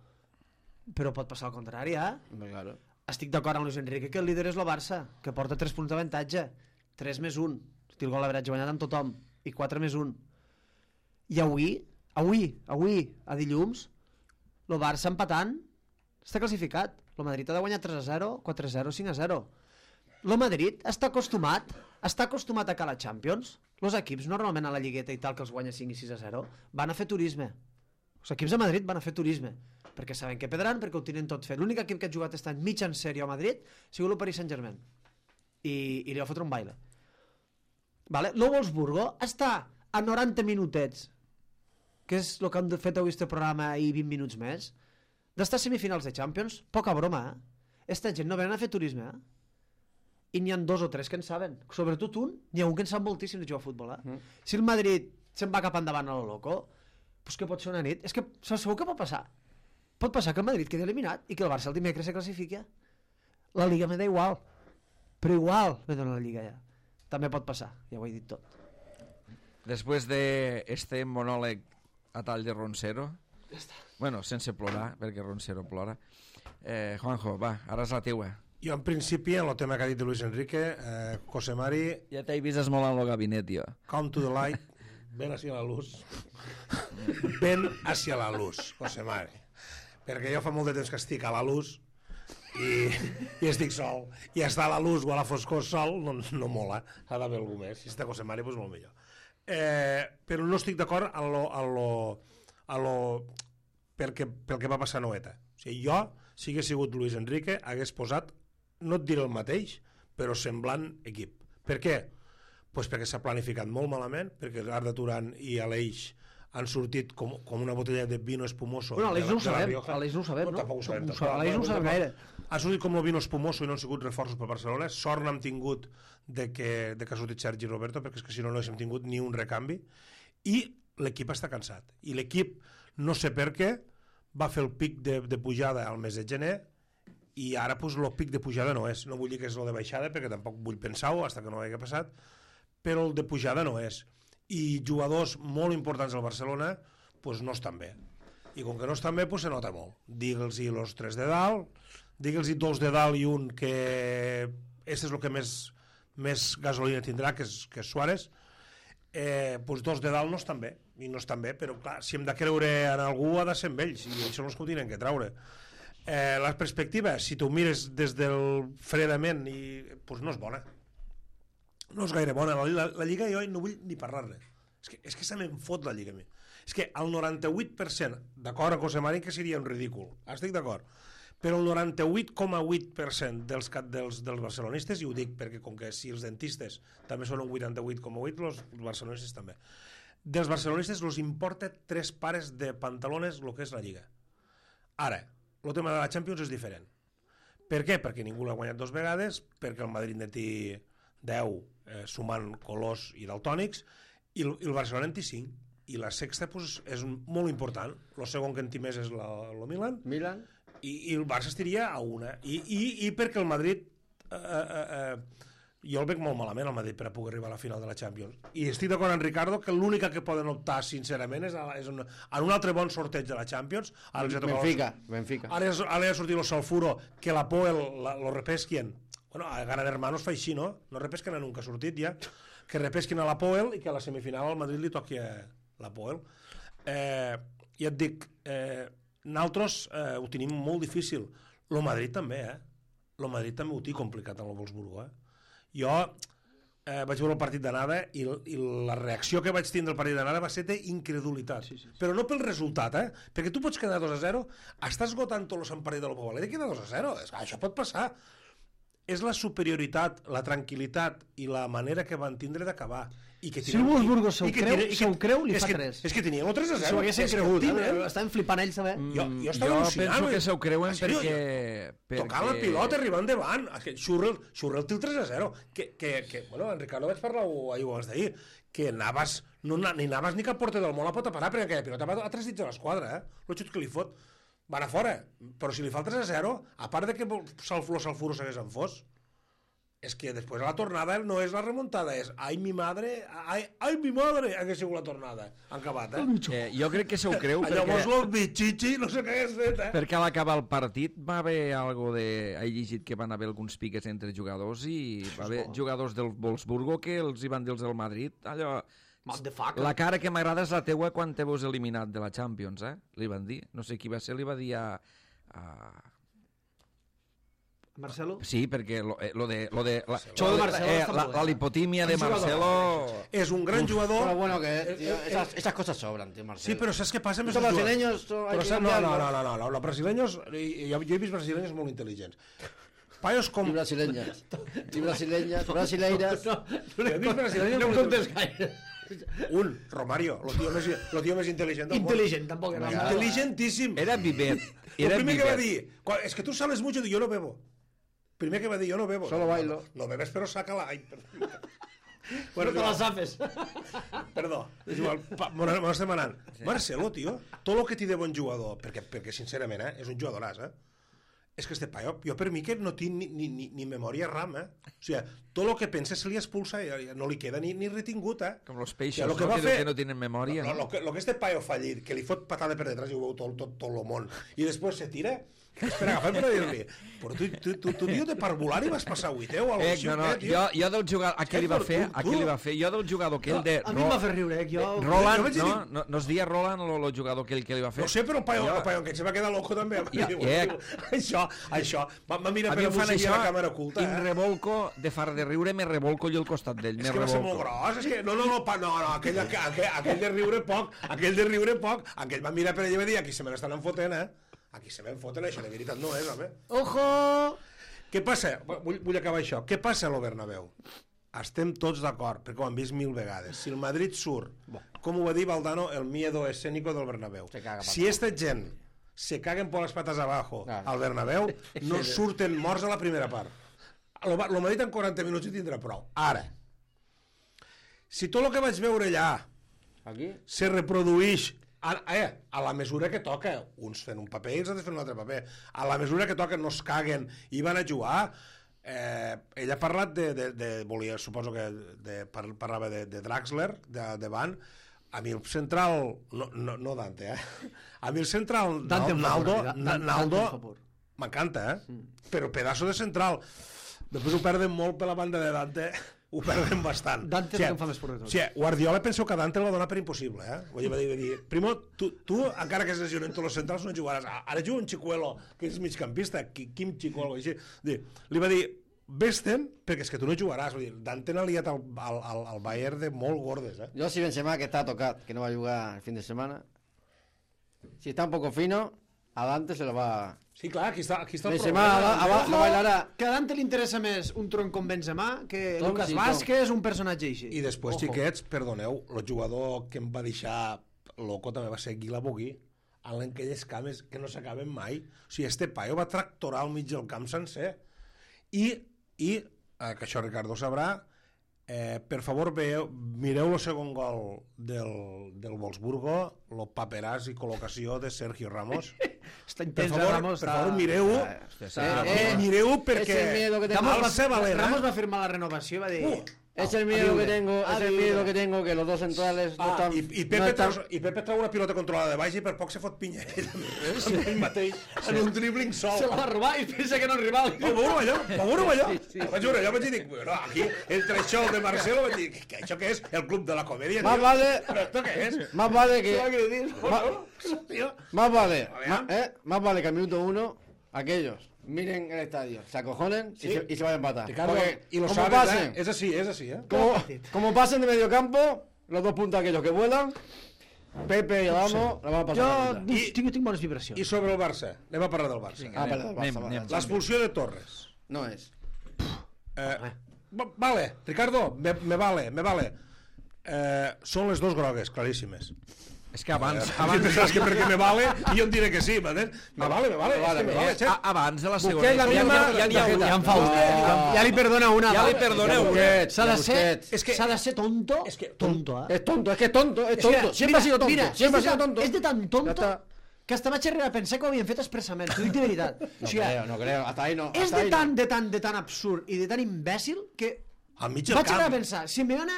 Però pot passar al contrari, eh? Hombre, claro. Estic d'acord amb Luis Enrique que el líder és el Barça, que porta tres punts d'avantatge. tres més un. Hosti, el gol l'averatge guanyat amb tothom. I quatre més un. I avui, avui, avui, a dilluns, el Barça empatant està classificat. El Madrid ha de guanyar tres a zero, quatre a zero, cinc a zero. El Madrid està acostumat, està acostumat a que a la Champions, els equips normalment a la Lligueta i tal, que els guanya cinc i sis a zero, van a fer turisme. Els equips de Madrid van a fer turisme, perquè saben que perdran, perquè ho tenen tot fet. L'únic equip que ha jugat aquest any mig en sèrio a Madrid ha sigut el Paris Saint-Germain. I, i li va fotre un baile. Vale? L'O Wolfsburgo està a noranta minutets, que és el que han fet avui este programa i vint minuts més, d'estar a semifinals de Champions. Poca broma, eh? Esta gent no venen a fer turisme, eh? I n'hi ha dos o tres que en saben. Sobretot un, n'hi ha un que en sap moltíssim de jugar a futbol, eh? Mm. Si el Madrid se'n va cap endavant a lo loco, pues què pot ser una nit? És que sabeu què pot passar? Pot passar que el Madrid quedi eliminat i que el Barça el dimecres se classifiqui. La Liga me da igual, però igual me dona la Lliga ja. També pot passar, ja ho he dit tot. Després d'este monòleg a tall de Roncero, ja està. Bueno, sense plorar, perquè Roncero plora, eh, Juanjo, va, ara és la teua. Jo, en principi, en el tema que ha dit de Luis Enrique, eh, José Mari... Ja t'he vist esmolant el gabinet, jo. Come to the light, ven hacia la luz. Ven hacia la luz, José Mari. Perquè jo fa molt de temps que estic a la luz i, i estic sol. I estar a la luz o a la foscor sol no, no mola. Ha d'haver algú més. Si està José Mari, doncs molt millor. Eh, però no estic d'acord a lo... A lo, a lo perquè, pel que va passar a Noeta. O sigui, jo, si hagués sigut Luis Enrique, hagués posat, no et diré el mateix, però semblant equip. Per què? Pues perquè s'ha planificat molt malament, perquè l'Arda Turan i Aleix han sortit com, com una botella de vino espumoso. Bueno, Aleix no ho sabem, Aleix no ho sabem, no? Tampoc ho sabem. Aleix no ho sabem gaire. Han sortit com el vino espumoso i no han sigut reforços per Barcelona. Sort n'hem tingut de que, de que ha sortit Sergi Roberto, perquè és que si no no haguéssim tingut ni un recanvi. I l'equip està cansat. I l'equip, no sé per què, va fer el pic de, de pujada al mes de gener i ara pues, el pic de pujada no és. No vull dir que és el de baixada, perquè tampoc vull pensar-ho fins que no hagi passat, però el de pujada no és. I jugadors molt importants al Barcelona pues, no estan bé. I com que no estan bé, pues, se nota molt. Digue'ls-hi los tres de dalt, digue'ls-hi dos de dalt i un que... Este és el que més, més gasolina tindrà, que és, que és Suárez. Eh, pues dos de dalt no estan bé, i no estan bé, però clar, si hem de creure en algú ha de ser amb ells, i això no és que ho tenen que traure. Eh, la perspectiva, si tu mires des del fredament, i, pues no és bona. No és gaire bona. La, la, la Lliga jo no vull ni parlar-ne. És que, és que se me'n fot la Lliga a mi. És que el noranta-vuit per cent, d'acord amb José Mari, que seria un ridícul, estic d'acord, però el noranta-vuit coma vuit per cent dels, dels, dels barcelonistes, i ho dic perquè com que si els dentistes també són un vuitanta-vuit coma vuit, els barcelonistes també, dels barcelonistes els importa tres pares de pantalones el que és la Lliga. Ara, el tema de la Champions és diferent. Per què? Perquè ningú l'ha guanyat dos vegades, perquè el Madrid en té deu, eh, sumant colors i daltònics, i el, i el Barcelona en té cinc. I la sexta pues, és molt important. El segon que en té més és el Milan. Milan. I, i el Barça estiria a una. I, i, i perquè el Madrid... Eh, eh, eh, jo el veig molt malament, el Madrid, per a poder arribar a la final de la Champions. I estic d'acord amb Ricardo que l'única que poden optar, sincerament, és, a, és un, en un altre bon sorteig de la Champions. Ara Benfica, Benfica. Ara, ara ha sortit el Salfuro, que la Poel lo repesquien. Bueno, a Gran Hermanos fa així, no? No repesquen a nunca ha sortit ja. Que repesquen a la Poel i que a la semifinal al Madrid li toqui la Poel. Eh, ja et dic, eh, nosaltres eh, ho tenim molt difícil. El Madrid també, eh? El Madrid també ho té complicat en el Wolfsburgo, eh? Jo eh, vaig veure el partit d'anada i, i la reacció que vaig tindre al partit d'anada va ser d'incredulitat. Sí, sí, sí. Però no pel resultat, eh? Perquè tu pots quedar dos a zero, estàs esgotant tot el partit de l'Opavaler i queda dos a zero. Això pot passar. És la superioritat, la tranquil·litat i la manera que van tindre d'acabar. I que si el Wolfsburgo se'l creu, se creu, li fa tres. És que tenien el tres a zero. Si ho haguessin cregut, eh? Estaven flipant ells també. Jo, jo estava al·lucinant. Jo penso que se ho creuen perquè... Tocant la pilota, arribant endavant. Xurrel, Xurrel té el tres a zero. Que, que, que, bueno, en Ricardo vaig parlar ahir abans d'ahir, que Navas, no, ni Navas ni cap porter del món la pot parar, perquè aquella pilota va a tres dits de l'esquadra, eh? El xut que li fot van a fora. Però si li fa el tres a zero, a part de que el Salfuro s'hagués enfós, és que després la tornada no és la remuntada, és ai mi madre, ai, ai mi madre, hagués sigut la tornada. Han acabat, eh? eh jo crec que se ho creu perquè... Llavors los bitxichi, no sé què hagués fet, eh? Perquè a l'acabar el partit va haver algo de... He llegit que van haver alguns piques entre jugadors i va haver jugadors del Wolfsburgo que els hi van dir els del Madrid, allò... La cara que m'agrada és la teua quan te veus eliminat de la Champions, eh? Li van dir, no sé qui va ser, li va dir a... a... Marcelo? Sí, perquè lo, eh, lo de... Lo de la, Això de Marcelo eh, està la, molt bé. la lipotímia de Marcelo... És un gran jugador... Pero bueno, que tío, esas, esas cosas sobran, tío, Marcelo. Sí, però saps què passa amb Estos aquests brasileños... jugadors? hay Però que saps, no, no, cambiarlos. no, no, no, los brasileños... Jo, jo he vist brasileños molt intel·ligents. Paios com... Y brasileñas. Y brasileñas, brasileiras. Jo he vist brasileños No em molt contes gaire. Un, Romario, el tio més, lo tio més intel·ligent del món. Intel·ligent, tampoc era. Intel·ligentíssim. Era vivet. El Era primer que va vivet. dir, "Cuan- es que tú sales mucho, y yo no bebo. Primer que va dir, yo no bebo. Solo No, bailo. No, no bebes, però sácala. Ai, perdó. Bueno, te les hafes. Perdó, és igual, pa- me n'ho estem anant. Marcelo, tio, tot el que té de bon jugador, perquè, perquè sincerament, eh, és un jugadoràs, eh? És que este paio, jo per mi que no tinc ni, ni, ni, ni memòria RAM, eh? O sigui, tot el que pensa se li expulsa i no li queda ni, ni retingut, eh? Com los peixos, O sigui, lo que no? va Que, fer- que no tenen memòria. Lo, No? lo, que, lo que este paio fa allí, que li fot patada per detrás i ho veu tot, tot, tot el món, i després se tira, és per agafar per dir-li, però tu, tu, tu, tu tio de parvulari vas passar vuiteu o alguna Eh, no, no, cosa, jo, jo del jugador... A què li va Tu, fer? tu, A què li va fer? Jo del jugador aquell de... A mi em va fer riure, eh? Jo... Roland, Jo vaig dir- no? No, no es deia Roland el jugador aquell que li va fer? No sé, però el paio, Jo- el paio que se va quedar loco també. Ja, Diu, eh. diu, això, això, va, va mirar A per mi el em fan bolsillo això a la càmera oculta, i em eh? revolco, de far de riure, me revolco jo al costat d'ell, És me que va ser molt revolco. gros, és que... No, no, no, pa, no, no aquell, aquell, aquell de riure poc, aquell de riure poc, aquell va mirar per allà i va dir, aquí se me l'estan enfotent, eh? Aquí se me enfoten, això de veritat no és, home. Ojo! Què passa? Vull, vull acabar això. Què passa a lo Bernabéu? Estem tots d'acord, perquè ho hem vist mil vegades. Si el Madrid surt, com ho va dir Valdano, el miedo escénico del Bernabéu. Se caga, Si esta gent se caguen por las patas abajo Claro. al Bernabéu, no surten morts a la primera part. Lo, lo Madrid en quaranta minuts hi tindrà prou. Ara, si tot el que vaig veure allà Aquí. se reprodueix a, eh, a la mesura que toca, uns fent un paper i els altres fent un altre paper, a la mesura que toca no es caguen i van a jugar, eh, ell ha parlat de, de, de volia, suposo que de, par, parlava de, de Draxler, de, de Van, a mi el central, no, no, no Dante, eh? A mi el central, Dante em fa Naldo, por, Dan- Dante Naldo, em fa por. m'encanta, eh? Però pedaço de central. Després ho perden molt per la banda de Dante, ho perden bastant. Dante és el que em fa més por de tot. Sí, Guardiola penso que Dante el va donar per impossible, eh? Vull dir, va dir, primo, tu, tu, encara que es lesionen tots els centrals, no jugaràs. Ara juga un Chicuelo, que és migcampista, Quim Chicuelo, així. Dir, li va dir, vés-te'n, perquè és que tu no jugaràs. Vull dir, Dante n'ha liat al, al, al, al Bayern de molt gordes, eh? Yo si Benzema, que está tocado, que no va a jugar el fin de semana, si está un poco fino, a Dante se lo va... Sí, clar, aquí està, aquí està el Benzema problema. va- va- lo bailarà. Que a Dante li interessa més un tronc com Benzema que Tom, Lucas sí, Vázquez, un personatge així. I després, Ojo. xiquets, perdoneu, el jugador que em va deixar loco també va ser Guila Bogui, en aquelles cames que no s'acaben mai. O sigui, este paio va tractorar al mig del camp sencer. I, i eh, que això Ricardo sabrà, eh, per favor, veieu, mireu el segon gol del, del Wolfsburgo, el paperàs i col·locació de Sergio Ramos. Està Per intens, favor, eh, Ramos. per favor, mireu-ho. Eh, mireu perquè... és el miedo que Ramos, va, Alça Valera. Ramos va firmar la renovació i va dir... Uh, Es el miedo que tengo, A es el viure. miedo que tengo que los dos centrales no Ah, están... i, i, no Pepe están- trau, I Pepe trau una pilota controlada de baix i per poc se fot pinya ell, sí. ell mateix, en un dribbling sol. Se la va robar i pensa que no és rival. Va veure allò, va veure allò. Vaig veure allò, vaig dir, bueno, aquí, entre això el de Marcelo, vaig dir, que això què és? El club de la comèdia? Más tio? vale, Però esto què és? más vale que... Ma... Tío, Más vale, A ver. más, eh, más vale que al minuto uno aquellos miren el estadio, se acojonen y, se, y se vayan a empatar. Ricardo, Porque y lo como sabes, pasen, eh? És així, és així, eh? como, como pasen de medio campo, los dos puntos aquellos que vuelan, Pepe y Adamo la van a pasar. Jo a la mitad. tinc, tinc, tinc bones vibracions. I sobre el Barça, anem a parlar del Barça. Ah, perdón, Anem, Barça, anem. Barça. L'expulsió de Torres. No es. Eh, va- vale, Ricardo, me, me vale, me vale. Eh, són les dos grogues, claríssimes. És que abans... Abans abans pensaràs que perquè me vale i jo em diré que sí, m'entens? Me vale, me vale, és que me vale, a, xet. abans de la segona... Busquets la ja, misma ja, ja, n'hi ha una. Ja en fa una. Ja, ja li perdona una. Ja va. li perdoneu una. Busquets, S'ha de ya ser, Busquets. És que- s'ha de ser tonto. és que- tonto, eh? Es tonto, es que es tonto, es que, tonto. Siempre mira, ha sido tonto. mira, Siempre ha es de sido tan- tonto. es de tan Ya tonto está. que hasta vaig arribar a pensar que ho havien fet expressament, t'ho dic de veritat. No O sigui, creo, no creo. Hasta ahí no. és hasta de ahí tan, no. de tan, de tan absurd i de tan imbècil que Al mig del vaig arribar a camp. pensar, Simeone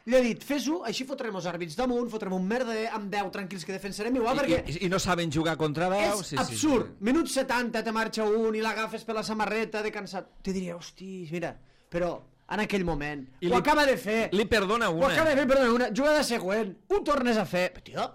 li ha dit, fes-ho, així fotrem els àrbits damunt, fotrem un merder, amb deu tranquils que defensarem igual, I, perquè i, I no saben jugar contra deu. és absurd. Minut setanta te marxa un i l'agafes per la samarreta de cansat. Te diria, hosti, mira, però en aquell moment I ho li- acaba de fer. Li perdona Ho una. acaba de fer, perdona, una jugada següent, ho tornes a fer. Però, tio,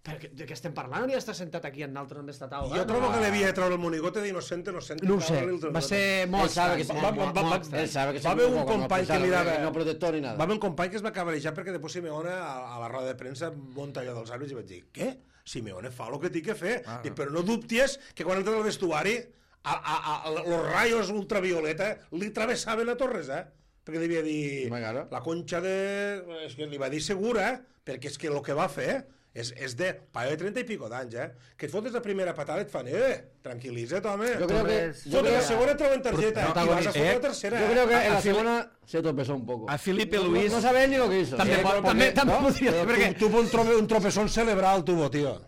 però que- de què estem parlant? Hauria d'estar sentat aquí en l'altre on està taula. Jo trobo que devia treure el monigote d'innocente, inocente. No ho sé, va ser molt Él sabe que estrany, va- molt, va- molt, va- molt va- estrany. Él sabe que Va se haver un equivocó, no company que pensaba, li dava- no protestó ni nada. Va haver un company que es va cabrejar perquè després Simeone a, a la roda de premsa munta allò dels àrbits i vaig dir, què? Simeone fa el que té que fer. Ah. Dic, però no dubtes que quan entra al vestuari a, a, a, a, los rayos ultravioleta li travessaven a Torres, eh? Perquè devia dir, Home, claro. la conxa de... És que li va dir segura, perquè és que el que va fer és, és de paio de trenta i pico d'anys, eh? Que et fotes la primera patada i et fan, eh, tranquil·litza't, home. Yo creo que, Torres, yo Fotes creo, la segona, treuen targeta, Però- i vas a fotre eh, la tercera. yo creo que A- en a la Fili- segunda se tropezó un poco. A Felipe No- Luis... No sabe ni lo que hizo. També, Sí, pot, porque- també, també ¿no? podria ser, perquè... Tu, tuvo un, trope, un tropezón cerebral, tuvo, tío.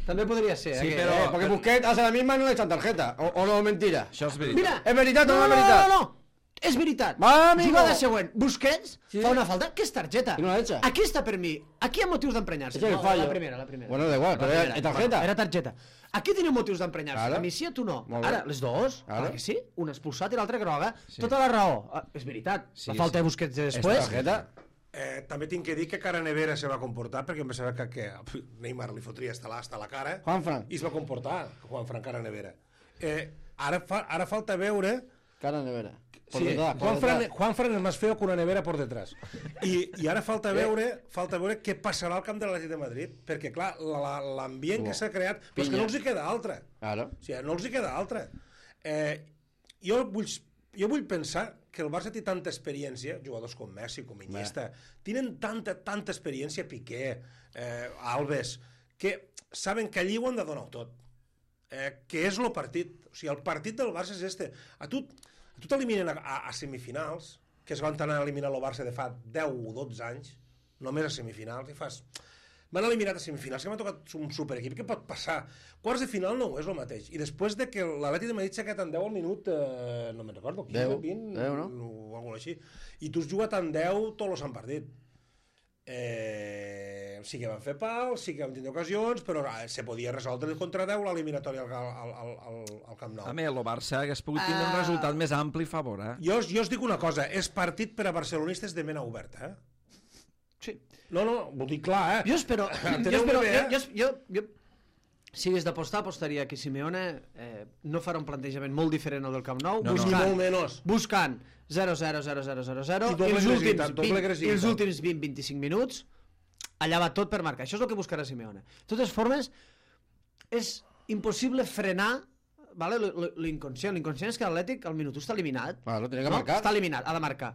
També podria ser, Sí, eh? que- però- Eh, porque Busquets hace la misma y no le echan tarjeta. O, o no, mentira. Això és veritat. Mira, És veritat o no, no és no, veritat? No, no, no, és veritat. Va, amigo. Jugada següent. Busquets Sí. fa una falta, que és targeta. I no la echa. Aquí està per mi. Aquí hi ha motius d'emprenyar-se. Ese es el fallo. La primera, la primera. Bueno, da igual, La pero primera. era tarjeta. Era targeta. Aquí teniu motius d'emprenyar-se. Claro. A mi sí, a tu no. Molt bé. Ara, les dues, Claro. clar que sí. Un expulsat i l'altre groga. Tota la raó. Ah, és veritat. Sí, la falta sí. de Busquets de ¿Es després. tarjeta? Eh, també tinc que dir que Cara Nevera se va comportar perquè em pensava que, que Neymar li fotria hasta la, hasta la cara Juanfran. i es va comportar Juanfran Cara Nevera. Eh, ara, fa, ara falta veure... Cara nevera. Por Sí, detrás, por Juanfran, detrás. Juanfran és més feo que una nevera por detrás. I, i ara falta veure falta veure què passarà al camp de l'Atlètic de Madrid, perquè clar, la- la- l'ambient que s'ha creat, però és que Pinya. no els hi queda altra. Claro. O sigui, no els hi queda altra. Eh, jo, vull, jo vull pensar que el Barça té tanta experiència, jugadors com Messi, com Iniesta, tenen tanta, tanta experiència, Piqué, eh, Alves, que saben que allí ho han de donar tot. Eh, que és el partit. O sigui, el partit del Barça és este. A tu, a tu t'eliminen a, a, a semifinals, que es van anar a eliminar el Barça de fa deu o dotze anys, només a semifinals, i fas... M'han eliminat a semifinals, que m'ha tocat un superequip, què pot passar? Quarts de final no ho és el mateix. I després de que l'Atlètic de Madrid s'ha quedat en deu al minut, eh, no me'n recordo, quinze, deu, vint, deu, no? o alguna així. I tu has jugat en deu, tots els han partit. Eh, sí que van fer pal, sí que van tindre ocasions, però eh, se podia resoldre el contra deu l'eliminatòria al, al, al, al, al Camp Nou. A més, el Barça hagués pogut tindre un Ah. resultat més ampli a favor, eh? Jo, jo us dic una cosa, és partit per a barcelonistes de mena oberta, eh? Sí. No, no, ho dic clar, eh? Jo espero... jo, Enteneu-me espero bé, jo, eh? jo, jo, jo, si hagués d'apostar, apostaria que Simeone eh, no farà un plantejament molt diferent al del Camp Nou, No, no. Ni buscant, molt menys. buscant zero zero zero zero zero zero I doble els últims, agressivitat, doble vint, agressivitat. els últims vint a vint-i-cinc minuts allà va tot per marcar. Això és el que buscarà Simeone. De totes formes, és impossible frenar, vale, l- l- l'inconscient. L'inconscient és que l'Atlètic al minut u està eliminat. Claro, tiene que No? marcar. Està eliminat, ha de marcar.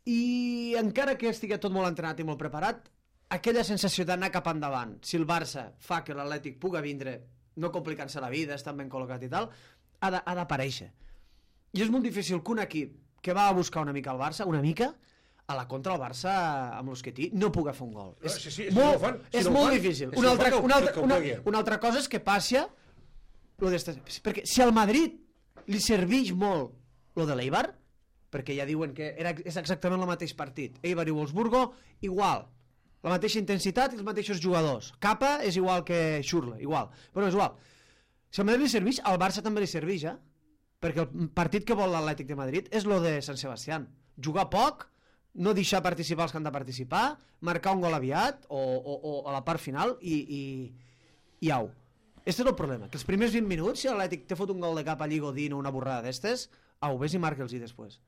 I encara que estigui tot molt entrenat i molt preparat, aquella sensació d'anar cap endavant, si el Barça fa que l'Atlètic puga vindre, no complicant-se la vida, estan ben col·locat i tal, ha de- ha d'aparèixer. I és molt difícil que un equip que va a buscar una mica al Barça, una mica, a la contra el Barça amb los que té, no puga fer un gol. No, és sí, sí, si molt, no ho fan, si és no ho molt fan, difícil. si Una no ho altra, fan, que ho- una, altra, que ho una, pegui. una altra cosa és que passi lo d'estes... Perquè si al Madrid li serveix molt lo de l'Eibar, perquè ja diuen que era, és exactament el mateix partit, Eibar i Wolfsburgo, igual, la mateixa intensitat i els mateixos jugadors. Capa és igual que Schürrle, igual. Però és igual. Si al Madrid li serveix, al Barça també li serveix, eh? Perquè el partit que vol l'Atlètic de Madrid és lo de Sant Sebastián. Jugar poc, no deixar participar els que han de participar, marcar un gol aviat o, o, o a la part final i, i, i au. Este és el problema, que els primers vint minuts, si l'Atlètic te fot un gol de cap allí Godín o una borrada d'estes, au, vés i marca'ls-hi després.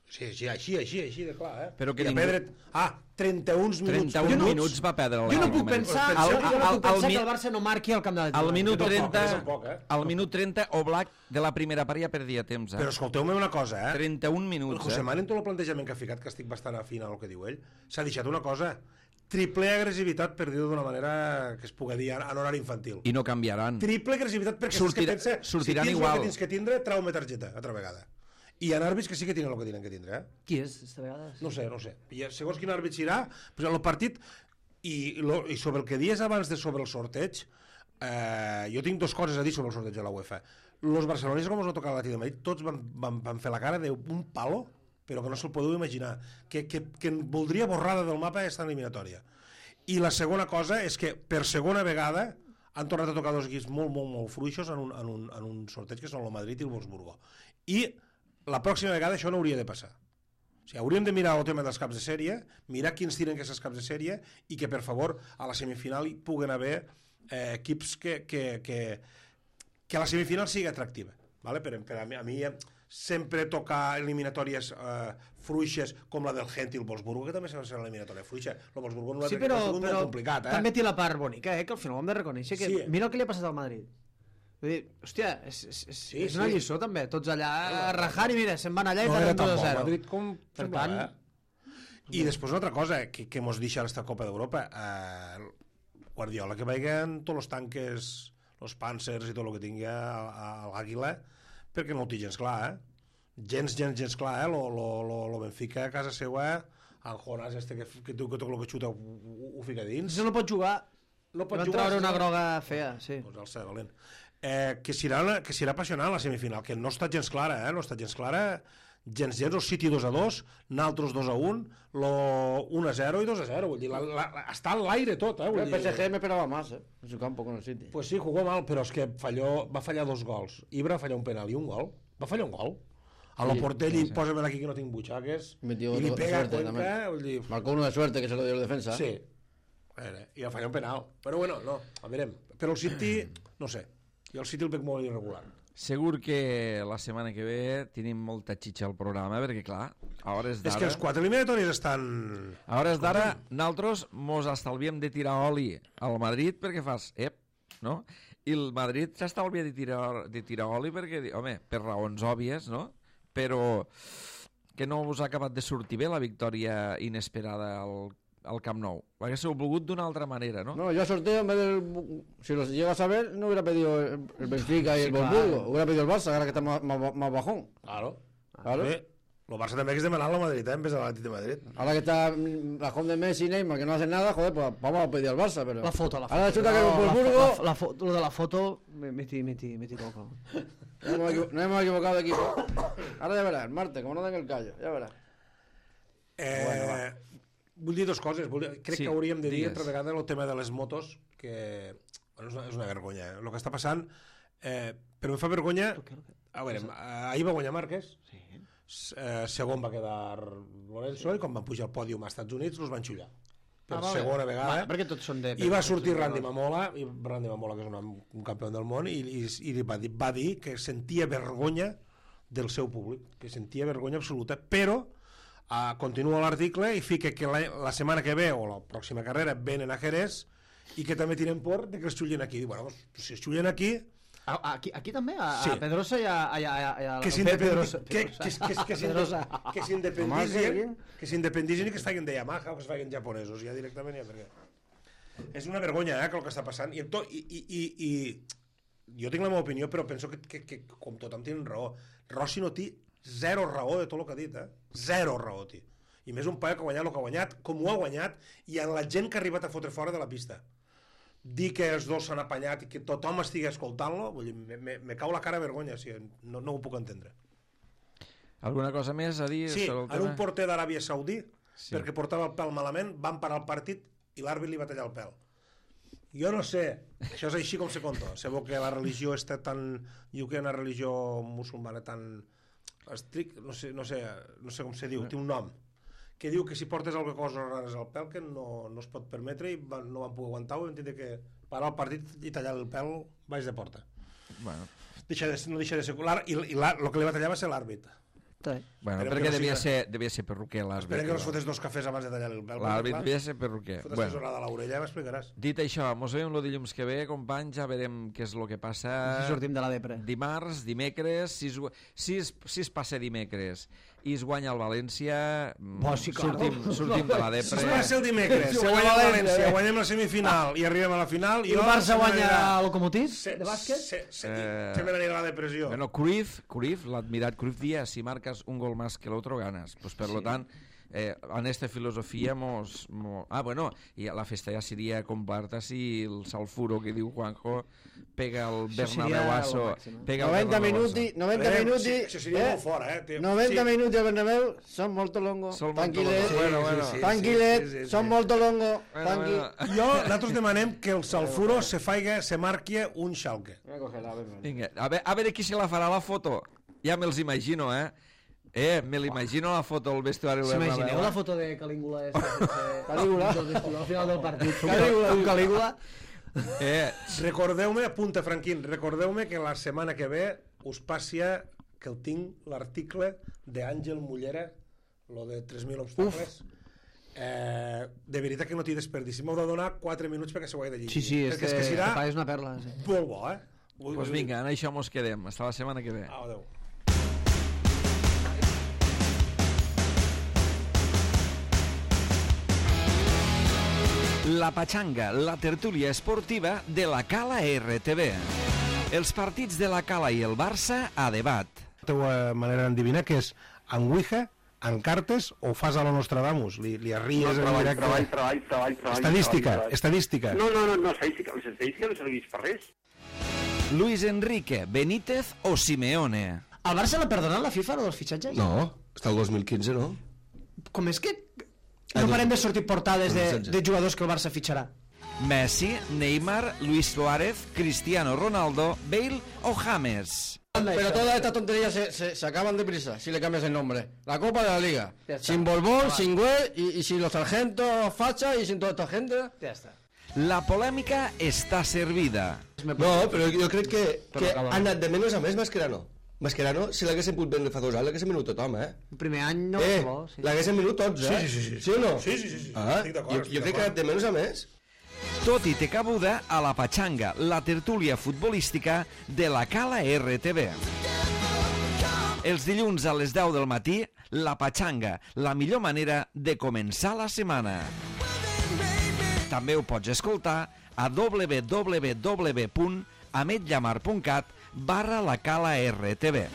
Sí, sí, així, així, així de clar, eh? Però que I a ningú- perdre... Ah, trenta-un minuts. trenta-un Jo no- minuts va perdre Jo no l'Atlètic puc de Madrid. pensar, Al- jo no puc al- al pensar mi- que el Barça no marqui al camp de l'Atlètic. Al minut Jo tampoc, trenta, jo tampoc, eh? al minut trenta, Oblak de la primera part ja perdia temps, eh? Però escolteu-me una cosa, eh? trenta-un El minuts, José eh? Mari, en tot el plantejament que ha ficat, que estic bastant afín al que diu ell, s'ha deixat una cosa, triple agressivitat, per dir-ho d'una manera que es pugui dir en horari infantil. I no canviaran. Triple agressivitat perquè Sortirà- saps que pensa, sortiran si tens igual. el que tens que tindre, trau-me targeta, altra vegada. I hi ha àrbits que sí que tenen el que tenen que tindre, eh? Qui és, esta vegada? No sé, no sé. I segons quin àrbit serà, pues el partit, i, lo, i sobre el que dies abans de sobre el sorteig, eh, jo tinc dues coses a dir sobre el sorteig de la UEFA. Los barcelonistes, com us va tocar l'Atlètic de Madrid, tots van, van, van fer la cara d'un palo, però que no se'l podeu imaginar, que, que, que voldria borrada del mapa aquesta eliminatòria. I la segona cosa és que per segona vegada han tornat a tocar dos equips molt, molt, molt fluixos en un, en un, en un sorteig que són el Madrid i el Wolfsburgo. I la pròxima vegada això no hauria de passar. O sigui, hauríem de mirar el tema dels caps de sèrie, mirar quins tiren aquests caps de sèrie i que, per favor, a la semifinal hi puguen haver eh, equips que, que, que, que la semifinal sigui atractiva. ¿Vale? Per, per a mi, a mi sempre tocar eliminatòries eh, fluixes com la del Gent i el Wolfsburgo, que també s'ha de ser l'eliminatòria fluixa. El Wolfsburgo no sí, però, és molt però complicat. Eh? També té la part bonica, eh? Que al final ho hem de reconèixer. Que sí. Mira el que li ha passat al Madrid. Vull dir, hòstia, és, és, és, sí, és una sí. lliçó també, tots allà a rajar i mira, se'n van allà i no perden dos a zero. Madrid com... Per tant... I després una altra cosa que, que mos deixa esta Copa d'Europa, eh, Guardiola, que vagin tots els tanques, els Panzers i tot el que tingui a, a, a l'Àguila, perquè no ho té gens clar, eh? Gens, gens, gens clar, eh? Lo, lo, lo, lo Benfica a casa seva, el Jonas este que, que, que tot el que xuta ho, ho, ho fica dins. Si no pot jugar, no pot van jugar, treure una no? groga fea, sí. Pues el ser valent. Eh, que, serà, que serà apassionant la semifinal, que no està gens clara, eh? No està gens clara, gens gens, el City dos a dos, naltros dos a un, lo un a zero i dos a zero, vull dir, la, la, la, està a l'aire tot, eh? Vull el dir, P S G me esperaba más, eh, en su campo con el City. Pues sí, jugó mal, però és que falló, va fallar dos gols. Ibra va fallar un penal i un gol. Va fallar un gol. A lo Sí, Portell, sí, sí. pósamela aquí que no tinc butxaques, Metió i li de pega a suerte Cuenca, también. vull dir... Marcó uno de suerte que se lo dio el defensa. Sí. Veure, i va fallar un penal. Però bueno, no, a veurem. Però el City, no sé, jo el City el veig molt irregular. Segur que la setmana que ve tenim molta xitxa al programa, perquè clar, a hores d'ara... És que els quatre eliminatoris estan... A hores d'ara, nosaltres mos estalviem de tirar oli al Madrid perquè fas, ep, no? I el Madrid s'estalvia de tirar, de tirar oli perquè, home, per raons òbvies, no? Però que no us ha acabat de sortir bé la victòria inesperada al, al Camp Nou. Ho haguéssiu volgut d'una altra manera, no? No, yo al sorteo, en vez del... Si los llegas a ver, no hubiera pedido el, el Benfica y Sí, el claro. Wolfsburgo. Hubiera pedido el Barça, ahora que está más, más, más bajón. Claro. Claro. Bé, el Barça també hagués demanat al Madrid, eh, en vez de l'Atlètic de Madrid. Ahora que está mm, bajón de Messi y Neymar, que no hacen nada, joder, pues vamos a pedir al Barça, pero... La foto, la foto. Ahora resulta que el No, la, Wolfsburgo... la, la, foto, lo de la foto, me metí, metí, metí coco. No hemos, equivo- no hemos equivocado de equipo. Ahora ya verás, el martes, como no den el callo, ya verás. Eh, Bueno, vull dir dues coses. Vull dir, crec Sí, que hauríem de dir digues. altra vegada el tema de les motos, que bueno, és, una, és una vergonya. Eh? El que està passant... Eh, però em fa vergonya... A veure, eh, ahir va guanyar Márquez, sí. eh, segon va quedar Lorenzo, i quan van pujar al pòdium als Estats Units els van xullar. Per Ah, vale. segona vegada. Va, perquè tots són de... I va sortir Randy Mamola, i Randy Mamola, que és un, un campió del món, i, i, i va, dir, va dir que sentia vergonya del seu públic, que sentia vergonya absoluta, però uh, continua l'article i fica que la, la setmana que ve, o la pròxima carrera, venen a Jerez, i que també tenen por de que es xullin aquí. Bueno, pues, si es xullin aquí... A, aquí, aquí també, a, Sí. a Pedrosa i a... a, a, a, a que Pedrosa. s'independitzin que, que, que, que, Pedrosa. s'inde- que s'independitzin que s'independitzin i que es facin de Yamaha o que es facin japonesos ja directament ja, perquè és una vergonya eh, que el que està passant i, to, i, i, i, i jo tinc la meva opinió però penso que, que, que com tothom té raó Rossi no té zero raó de tot el que ha dit eh? Zero raó té i més un paio que ha guanyat el que ha guanyat com ho ha guanyat i en la gent que ha arribat a fotre fora de la pista dir que els dos s'han apanyat i que tothom estigui escoltant-lo, vull dir, me, me, me cau la cara vergonya, o sigui, no, no ho puc entendre. Alguna cosa més a dir Sí, sobre el en tema? un porter d'Aràbia Saudí, Sí. sí. perquè portava el pèl malament, van parar el partit i l'àrbit li va tallar el pèl. Jo no sé, això és així com se conta. Sabeu que la religió està tan... Diu que una religió musulmana tan estrict, no sé, no sé, no sé com se diu, té un nom, que diu que si portes alguna cosa rares al pèl que no, no es pot permetre i van, no van poder aguantar ho, vam tindre que parar el partit i tallar el pèl baix de porta. Bueno, Deixa de, no deixa de ser... I, i la, el que li va tallar va ser l'àrbit. bueno Esperem perquè que no devia, siga- ser, devia ser perruquer l'àrbit. Espera que no es fotés dos cafès abans de tallar el pèl. L'àrbit clar. devia ser perruquer. Fotes Bueno. tesorada a l'orella, m'explicaràs. Dit això, mos veiem el dilluns que ve, companys, ja veurem què és el que passa. Si sortim de la depre. Dimarts, dimecres, si es, si es, si es passa dimecres i es guanya el València, mm, Bo, sí, claro. sortim, sortim de la Si depre. es passa el dimecres, Si si guanya guanya el València, València, eh? guanyem la semifinal i arribem a la final... I el Barça guanya el Locomotiv se, de bàsquet? Se, se, Eh, se me n'anirà la depressió. Bueno, Cruyff, Cruyff, l'admirat Cruyff dia, si marcas un gol más que el otro ganas. Pues per sí. lo tant, eh, en esta filosofia mos, mos... Ah, bueno, i la festa ja seria comparta si el Salfuro que diu Juanjo pega el Bernabéu Asso, pega el noventa minuti, noventa Eh, minuti, sí, això seria eh? molt fort, eh, tio. noventa Sí. minuti al Bernabéu, són molt longo, Són molt tranquil·let, longo. Bueno, bueno. Sí, sí, tranquil·let, sí, sí, sí, són sí. molt longo, Bueno, tranqui. bueno. Jo, nosaltres demanem que el Salfuro se faiga, se marqui un Schalke. Voy a cogerla, a ver, Vinga, a veure, a veure qui se la farà la foto. Ja me'ls imagino, eh? Eh, me l'imagino la foto al vestuari del Bernabéu. S'imagineu la foto de Calígula esta, Calígula. al final del partit? Calígula. Un Calígula. Eh, Recordeu-me, apunta, Franquín, recordeu-me que la setmana que ve us passia que el tinc l'article d'Àngel Mullera, lo de tres mil obstacles. Eh, de veritat que no t'hi desperdici. M'heu de donar quatre minuts perquè se ho he de llegir. Sí, sí, és perquè que, és que serà és una perla. Sí. molt bo, eh? Vull, doncs vinga, en això mos quedem. Hasta la setmana que ve. Au, adéu. La Pachanga, la tertúlia esportiva de la Cala R T V. Els partits de la Cala i el Barça a debat. La teva manera d'endevinar que és en Ouija, en cartes o ho fas a la Nostradamus? Li, li arries en treball, directe? treball, treball, treball, treball. Estadística, treball, treball. estadística. No, no, no, no, estadística, l'estadística no serveix per res. Luis Enrique, Benítez o Simeone. Al Barça l'ha perdonat la FIFA, dels fitxatges? No, està el dos mil quinze, no? Com és que no parem de sortir portades de, dos mil setze. de jugadors que el Barça fitxarà? Messi, Neymar, Luis Suárez, Cristiano Ronaldo, Bale o James. Pero todas estas tonterías se, se, se acaban deprisa si le cambias el nombre. La Copa de la Liga. Ya está. Sin Borbón, sin Güell y, y sin los sargentos Facha y sin toda esta gente. Ja està. La polèmica està servida. No, però jo crec que, que acaba. ha anat de menys a més Mascherano. Mascherano, si l'haguessin pogut vendre fa dos anys, l'haguessin venut tothom, eh? El primer any no eh, va bo, sí. l'haguessin venut tots, eh? Sí, sí, sí, sí. Sí o no? Sí, sí, sí, sí. Ah, Estic d'acord, jo, estic jo crec que ha anat de menys a més. Tot i té cabuda a la Pachanga, la tertúlia futbolística de la Cala R T V. Els dilluns a les deu del matí, la Pachanga, la millor manera de començar la setmana. També ho pots escoltar a w w w punt ametllamar punt cat barra la Cala R T V.